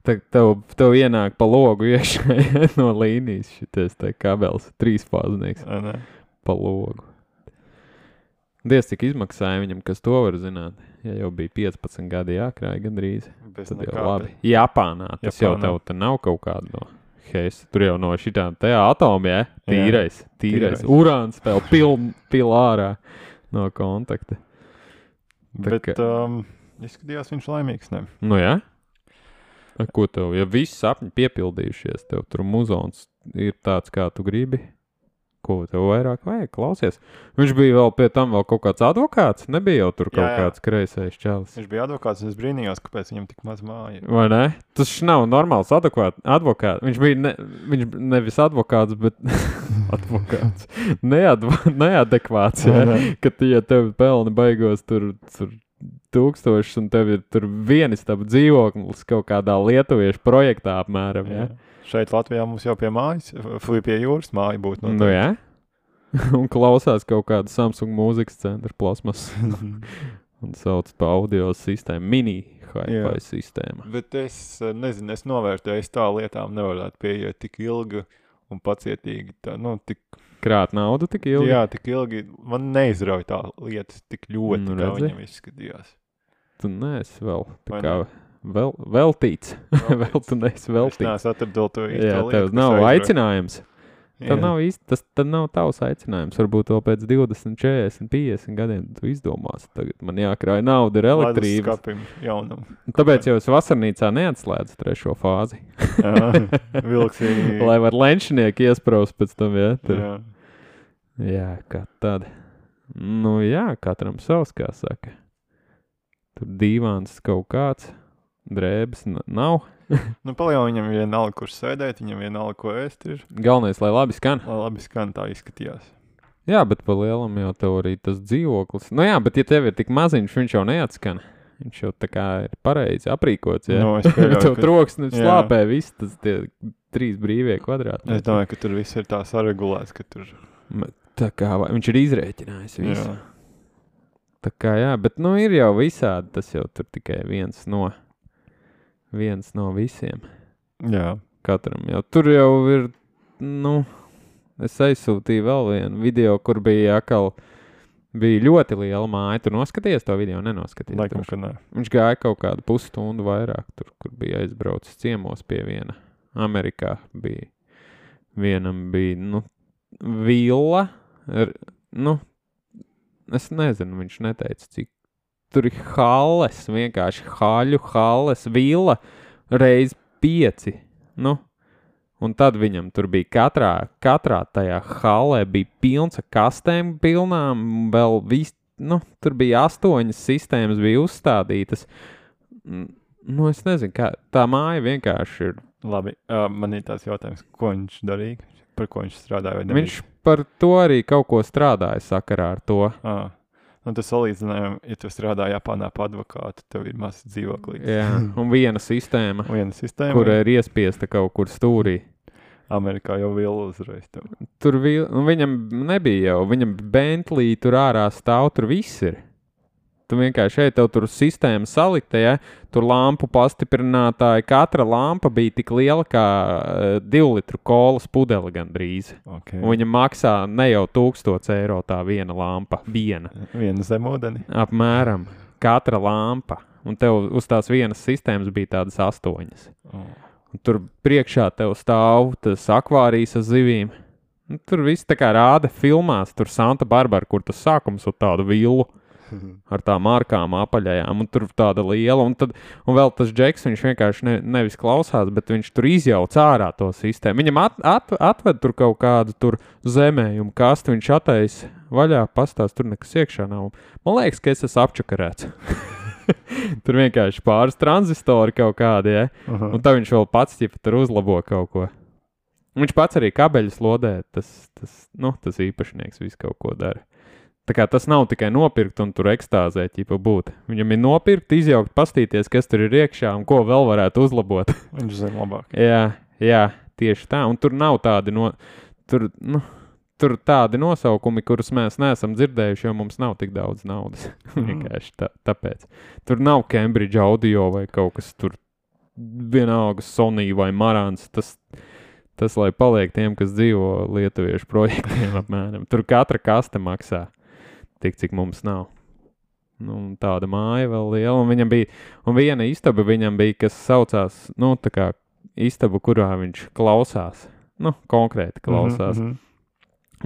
Te, tev, tev ienāk pa logu iekšā ja, no līnijas šitais te kabels, trīsfāznieks Vai ne? pa logu. Diez cik izmaksāja viņam, kas to var zināt, ja jau bija piecpadsmit gadi jākrāja gandrīz, Bez tad jau nekā, labi. Japānā, tas jau Japānā. tev te nav kaut kāda no heisa, tur jau no šitām te atomi, ja, tīrais, tīrais, tīrais. urāns vēl pil, pil ārā no kontakta. Bet ka- um, izskatījās viņš laimīgs, ne? Nu jā? A, ko tev, ja viss sapņi piepildījušies, tev tur muzons ir tāds, kā tu gribi, ko tev vairāk vajag, klausies. Viņš bija vēl pie tam vēl kaut kāds advokāts, nebija jau tur kaut Jā, jā. kāds kreisais čalis. Viņš bija advokāts, un es brīnījos, kāpēc viņam tik maz māja. ir. Vai ne? Tas š nav normāls advokāt, advokāts. Viņš bija ne, viņš nevis advokāts, bet advokāts. Neadva, neadekvāts, Vai ja? ne? Ka tie tev pelni baigos tur, tur tūkstošus, un tev ir tur vienistaba dzīvoklis kaut kādā lietuviešu projektā apmēram, ja? Jā. Šeit Latvijā mums jau pie mājas, pie jūras māja būtu. Nu, jā. Un klausās kaut kādu Samsung mūzikas centra plasmas. Un sauc pa audio sistēmu, mini hi-fi sistēma. Bet es nezinu, es novērtēju, es tā lietām nevarētu pieiet tik ilgi un pacietīgi. Tā, nu, tik... Krāt naudu tik ilgi? Jā, tik ilgi. Man neizrauj tā lietas tik ļoti, nu, kā viņam izskatījās. Tu neesi vēl tā kā vēl, veltīts. Vēl tu neesi veltīts. Es neesmu atradot to īsto Jā, lietu. tev nav aizrauj. Aicinājums. Jā. Nav īsti, tas tad nav tavs aicinājums. Varbūt to pēc divdesmit, četrdesmit, piecdesmit gadiem tu izdomās. Tagad man jākrāj nauda, ir elektrības. Skapim jaunam. Tāpēc jau es vasarnīcā neatslēdzu trešo fāzi. Jā, vilksīgi. Lai var lenšinieki iespraust pēc tam, jā. Tur. Jā. Jā, kā tad. Nu jā, katram savs, kā saka. Tur dīvāns kaut kāds, drēbes n- nav. Nu, paljau viņam vienalga, kur sēdēt, viņam vienalga, ko ēst ir. Galvenais, lai labi skan. Lai labi skan, tā izskatījās. Jā, bet pa lielam jau tev arī tas dzīvoklis. Nu jā, bet ja tev ir tik maziņš, viņš jau neatskan. Viņš jau tā kā ir pareizi aprīkots, jā. Nu, es pieļauju, tev ka- troksnis Jā. slāpē viss, tas tie trīs brīvie kvadrāti. Es domāju, ka tur viss ir tā saregulēts, ka tur... Tā kā vai- viņš ir izrēķinājis visu. Jā. Tā kā jā, bet nu ir jau visādi, tas jau tur tikai viens no, viens no visiem. Jā. Katram jau. Tur jau ir, nu, es aizsūtīju vēl vienu video, kur bija akal, bija ļoti liela māja. Tu noskaties to video, nenoskaties? Laikam, ka nē. Viņš gāja kaut kādu pusstundu vairāk tur, kur bija aizbraucis ciemos pie viena. Amerikā bija, vienam bija, nu, villa, r, nu, es nezinu, viņš neteica, cik tur ir halles, vienkārši haļu halles, villa, reiz pieci, nu, un tad viņam tur bija katrā, katrā tajā hallē bija pilns ar kastēm pilnām, vēl viss, nu, tur bija astoņas sistēmas bija uzstādītas, nu, es nezinu, kā, tā māja vienkārši ir. Labi, uh, man ir tās jautājums, ko viņš darīja, par ko viņš strādāja vai Viņš par to arī kaut ko strādāja sakarā ar to. Ah. Nu, tas salīdzinājumi, ja tu strādā Japānā pa advokātu, tev ir mazs dzīvoklīgs. Jā, un viena sistēma, Viena sistēma. kur ir iespiesta kaut kur stūrī. Amerikā jau vēl uzreiz tev. Tur vi, nu, viņam nebija jau, viņam Bentley tur ārā stāv, tur viss ir. Tu vienkārši šeit tev tur sistēma salikta, ja? Tur lampu pastiprinātāji, katra lampa bija tik liela kā uh, divu litru kolas pudele gandrīz. Okay. Un viņa maksā ne jau tūkstots eiro tā viena lampa, viena. Viena zemūdeni. Apmēram, katra lampa. Un tev uz tās vienas sistēmas bija tādas astoņas. Oh. Un tur priekšā tev stāv tas akvārijas ar zivīm. Un tur viss tā kā rāda filmās, tur Santa Barbara, kur tas sākums ar tādu villu. Ar tām ārkām apaļajām, un tur tāda liela, un, tad, un vēl tas Džeks, viņš vienkārši ne, nevis klausās, bet viņš tur izjauc ārā to sistēmu. Viņam at, at, atved tur kaut kādu tur zemējumu kastu, viņš attais vaļā, pastās, tur nekas iekšā nav. Man liekas, ka es esmu apčakarēts. Tur vienkārši pāris tranzistori kaut kādi, ja? Uh-huh. Un tad viņš vēl pats ķipa tur uzlabo kaut ko. Viņš pats arī kabeļus lodē, tas, tas, nu, tas īpašnieks visu kaut ko dara. Tā kā tas nav tikai nopirkt un tur ekstāzē ķipa būt. Viņam ir nopirkt, izjaukt, pastīties, kas tur ir iekšā un ko vēl varētu uzlabot. Viņš zina labāk. jā, jā, tieši tā. Un tur nav tādi, no, tur, nu, tur tādi nosaukumi, kurus mēs neesam dzirdējuši, jo mums nav tik daudz naudas. Vienkārši tā, tāpēc. Tur nav Cambridge Audio vai kaut kas tur vienalga Sony vai Marantz. Tas, tas, lai paliek tiem, kas dzīvo lietuviešu projektiem apmēram. Tur katra kaste maksā. Tik, cik mums nav. Nu, tāda māja vēl liela, un viņam bija, un viena istaba viņam bija, kas saucās, nu, tā kā istaba, kurā viņš klausās, nu, konkrēti klausās. Mm-hmm.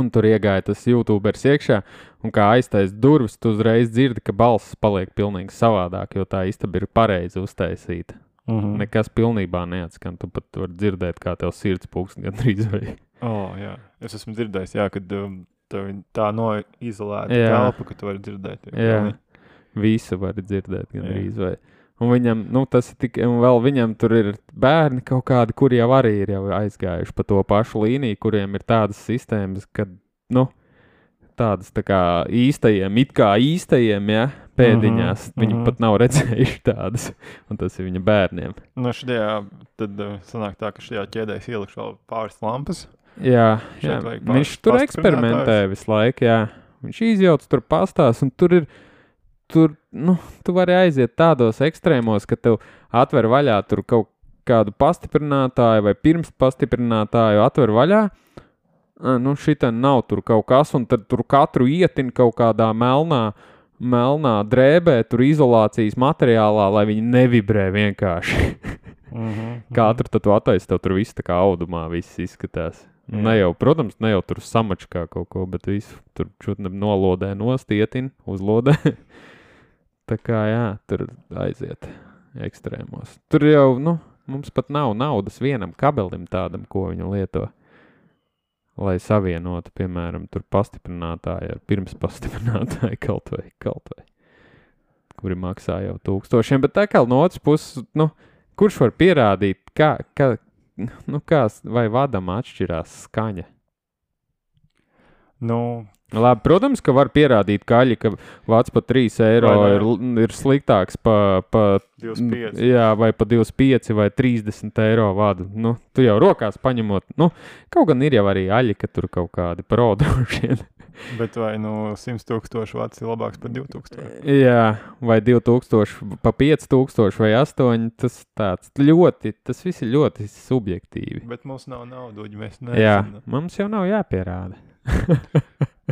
Un tur iegāja tas YouTubers iekšā, un kā aiztais durvis, tu uzreiz dzirdi, ka balss paliek pilnīgi savādāk, jo tā istaba ir pareizi uztaisīta. Mm-hmm. Nekas pilnībā neatskan, tu pat var dzirdēt, kā tev sirds pulks gandrīz vai. Oh, jā. Es esmu dzirdējis, jā, kad um, tev tā noizolēta Jā. telpa, ka tu vari dzirdēt. Jā, visu var dzirdēt gandrīz vai. Un viņam, nu tas ir tik, un vēl viņam tur ir bērni kaut kādi, kuri jau arī ir jau aizgājuši pa to pašu līniju, kuriem ir tādas sistēmas, kad, nu, tādas tā kā īstajiem, it kā īstajiem, ja, pēdiņās. Mhm, Viņi mhm. pat nav redzējuši tādas, un tas ir viņa bērniem. Nu, šajā, tad uh, sanāk tā, ka šajā ķēdē ielikšu vēl pāris lampas. Jā, Šeit jā. vajag pāris Viņš tur eksperimentē pastiprinātājus. visu laiku, jā. Viņš izjauc tur pastās, un tur ir, tur, nu, tu vari aiziet tādos ekstrēmos, ka tev atver vaļā tur kaut kādu pastiprinātāju vai pirms pastiprinātāju atver vaļā. Nu, šitā nav tur kaut kas, un tad tur katru ietin kaut kādā melnā, melnā drēbē, tur izolācijas materiālā, lai viņi nevibrē vienkārši. Mhm, Katru tad tu attaisi, tev tur viss tā kā audumā viss izskatās. Jā. Ne jau, protams, ne jau tur samačkā kaut ko, bet visu tur čutne nolodē nost, ietin, uzlodē. Tā kā, jā, tur aiziet ekstrēmos. Tur jau, nu, mums pat nav naudas vienam kabelim tādam, ko viņu lieto. Lai savienotu, piemēram, tur pastiprinātāju ar pirms pastiprinātāju kaut vai, kaut vai, kuri maksā jau tūkstošiem, bet tā kā no otras puses, nu, kurš var pierādīt, kā, kā, nu, kā vai vadam atšķirās skaņa? Nu, Labi, protams, ka var pierādīt kaļi, ka vats pa trīs eiro Vai ne? ir, ir sliktāks pa, pa, divdesmit pieci. jā, vai pa divdesmit pieci vai trīsdesmit eiro vadu. Nu, tu jau rokās paņemot, nu, kaut gan ir jau arī aļi, ka tur kaut kādi prodrošien. Bet vai nu simt tūkstoši vats ir labāks par divi tūkstoši? Jā, vai divi tūkstoši, pa pieci tūkstoši vai astoņi, tas tāds ļoti, tas viss ir ļoti subjektīvi. Bet mums nav nauduģi, mēs Jā, nezinām. mums jau nav jāpierāda.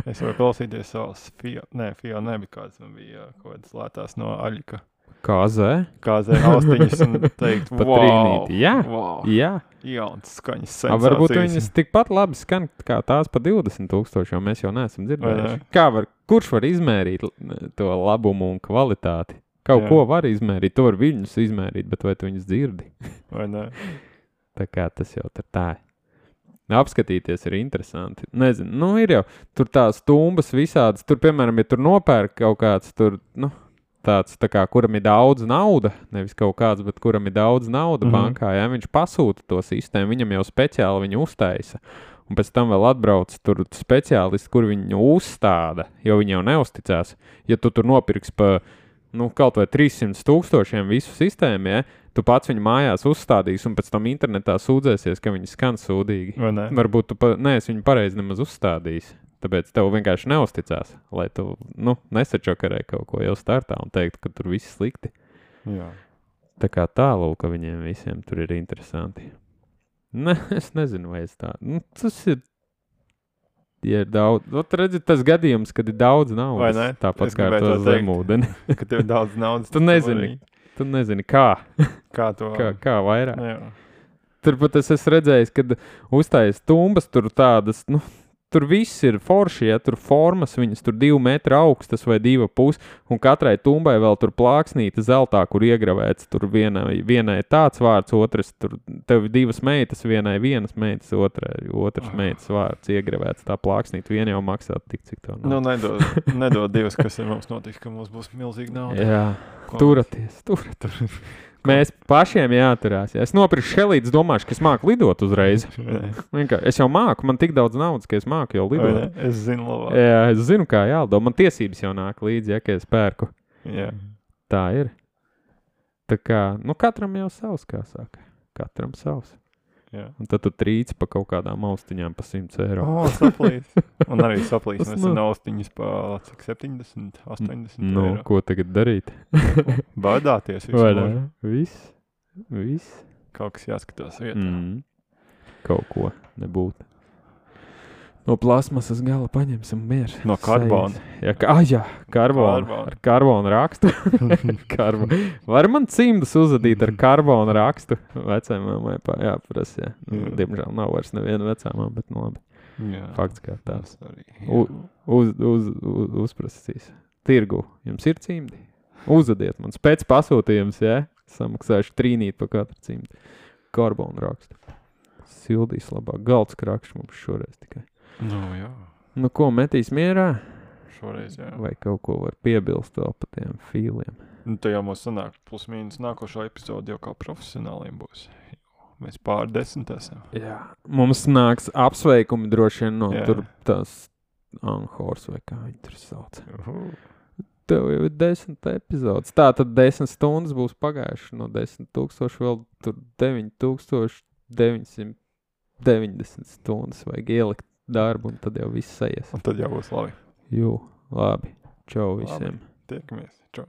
Es varu klausīties savas Fio, nē, Fio nebija kāds, man bija kaut kādas lētās no Aļika. Kāzē? Kāzē austiņas un teikt, Pa wow, trīnīti, jā. wow, Jā. jauns skaņas A, sensācijas. varbūt viņas tikpat labi skan kā tās pa divdesmit tūkstoši, jo mēs jau neesam Vai dzirdējuši. ne? Kā var, kurš var izmērīt l- to labumu un kvalitāti? Kaut Jā. ko var izmērīt, tu var viņus izmērīt, bet vai tu viņus dzirdi? Vai ne? Tā kā tas jau tur tā ir. Apskatīties ir interesanti. Nezinu, nu ir jau tur tās tumbas visādas. Tur, piemēram, ja tur nopērk kaut kāds tur, nu, tāds, tā kā, kuram ir daudz nauda, nevis kaut kāds, bet kuram ir daudz nauda Mhm. bankā, ja viņš pasūta to sistēmu, viņam jau speciāli viņu uztaisa. Un pēc tam vēl atbrauc tur speciālisti, kur viņu uzstāda, jo viņi jau neusticās. Ja tu tur nopirks pa, nu, kaut vai trīssimt tūkstošiem visu sistēmu, ja, tu pats viņu mājās uzstādīsi un pēc tam internetā sūdzēsies, ka viņi skan sūdīgi. Vai ne? Varbūt tu pa, neesi viņu pareizi nemaz uzstādījis. Tāpēc tev vienkārši neusticās, lai tu, nu, nesačakarē kaut ko jau startā un teikt, ka tur viss slikti. Jā. Tā kā tālūk, ka viņiem visiem tur ir interesanti. Ne, es nezinu, vai es tā. Nu, tas ir, ja ir daudz. Ot, redzi, tas gadījums, kad ir daudz Vai naudas. ne? Tāpat Es kā ar gribēju to to teikt. zemūdeni. Ka tev ir daudz naudas. Tu tad nezini. vari- Tu nezini, kā, Kā to? kā, kā vairāk. Jā. Turpat es esmu redzējis, kad uztais tumbas tur tādas, nu, tur viss ir forši, ja tur formas, viņas tur divu metru augstas vai divu pus, un katrai tumbai vēl tur plāksnīta zeltā, kur iegravēts, tur vienai, vienai tāds vārds, otrs, tur tev ir divas meitas, vienai vienas meitas, otrai, otrs meitas vārds iegravēts, tā plāksnīta, viena jau maksā tik, cik to Nu, nav. nedod, nedod divas, kas ir mums notiks, ka mums būs milzīga nauda. Jā, Ko turaties, turaties. Mēs pašiem jāturās. Ja es nopirku šelītes, domāšu, ka es māku lidot uzreiz. mēs- Vienkār, es jau māku, man tik daudz naudas, ka es māku jau Vai lidot. ne? Es zinu labāk. Jā, es zinu, kā jālido. Man tiesības jau nāk līdzi, ja, ka es pērku. Jā. Tā ir. Tā kā, nu, katram jau savs, kā saka. Katram savs. Jā. Un tad tu trīci pa kaut kādām austiņām pa simts eiro. O, saplīs. Un arī saplīs. Tas Mēs nav- esam austiņas pa, cik, septiņdesmit, astoņdesmit Nu, eiro. ko tagad darīt? Bādāties visu Vai mūžu. ne? Viss. Viss. Kaut kas jāskatās vietā. Mm. Kaut ko nebūtu. No plasmasas gala paņemsim mieru. No karbona. Jā, ka, ah, jā, karbona. Karbona. Ar karbona rakstu. Karbo. Var man cimdus uzadīt ar karbona rakstu? Vecai mammai pā, jāprasa, jā. Nu, Jā. diemžēl nav vairs neviena vecāmā, bet nu labi. Jā. Fakts kā tāds. Tas arī. U, uz, uz, uz, uzprasīs. Tirgu. Jums ir cimdi? Uzadiet man. Pēc pasūtījums, jā? Samaksāšu trīnīt pa katru cimdi. Karbona rakstu. Sildīs labāk. Galds krakšs mums šoreiz tikai. Nu, jā. Nu, ko metīs mierā? Šoreiz, jā. Vai kaut ko var piebilst vēl pa tiem fīliem? Nu, tā jau mums sanāk plus mīnus nākošo epizodu jau kā profesionāliem būs. Mēs pār desmit esam. Jā. Mums nāks apsveikumi droši vien no Jā. tur tās Anhors vai kā viņi tur sauc. Uhu. Tev jau ir desmit epizodes. Tā tad desmit stundas būs pagājuši no desmit tūkstoši, vēl tur deviņi tūkstoši deviņsimt deviņdesmit stundas vajag ielikt darbu, un tad jau viss aizies. Un tad jau būs labi. Jū, labi. Čau visiem. Labi. Tiekamies. Čau.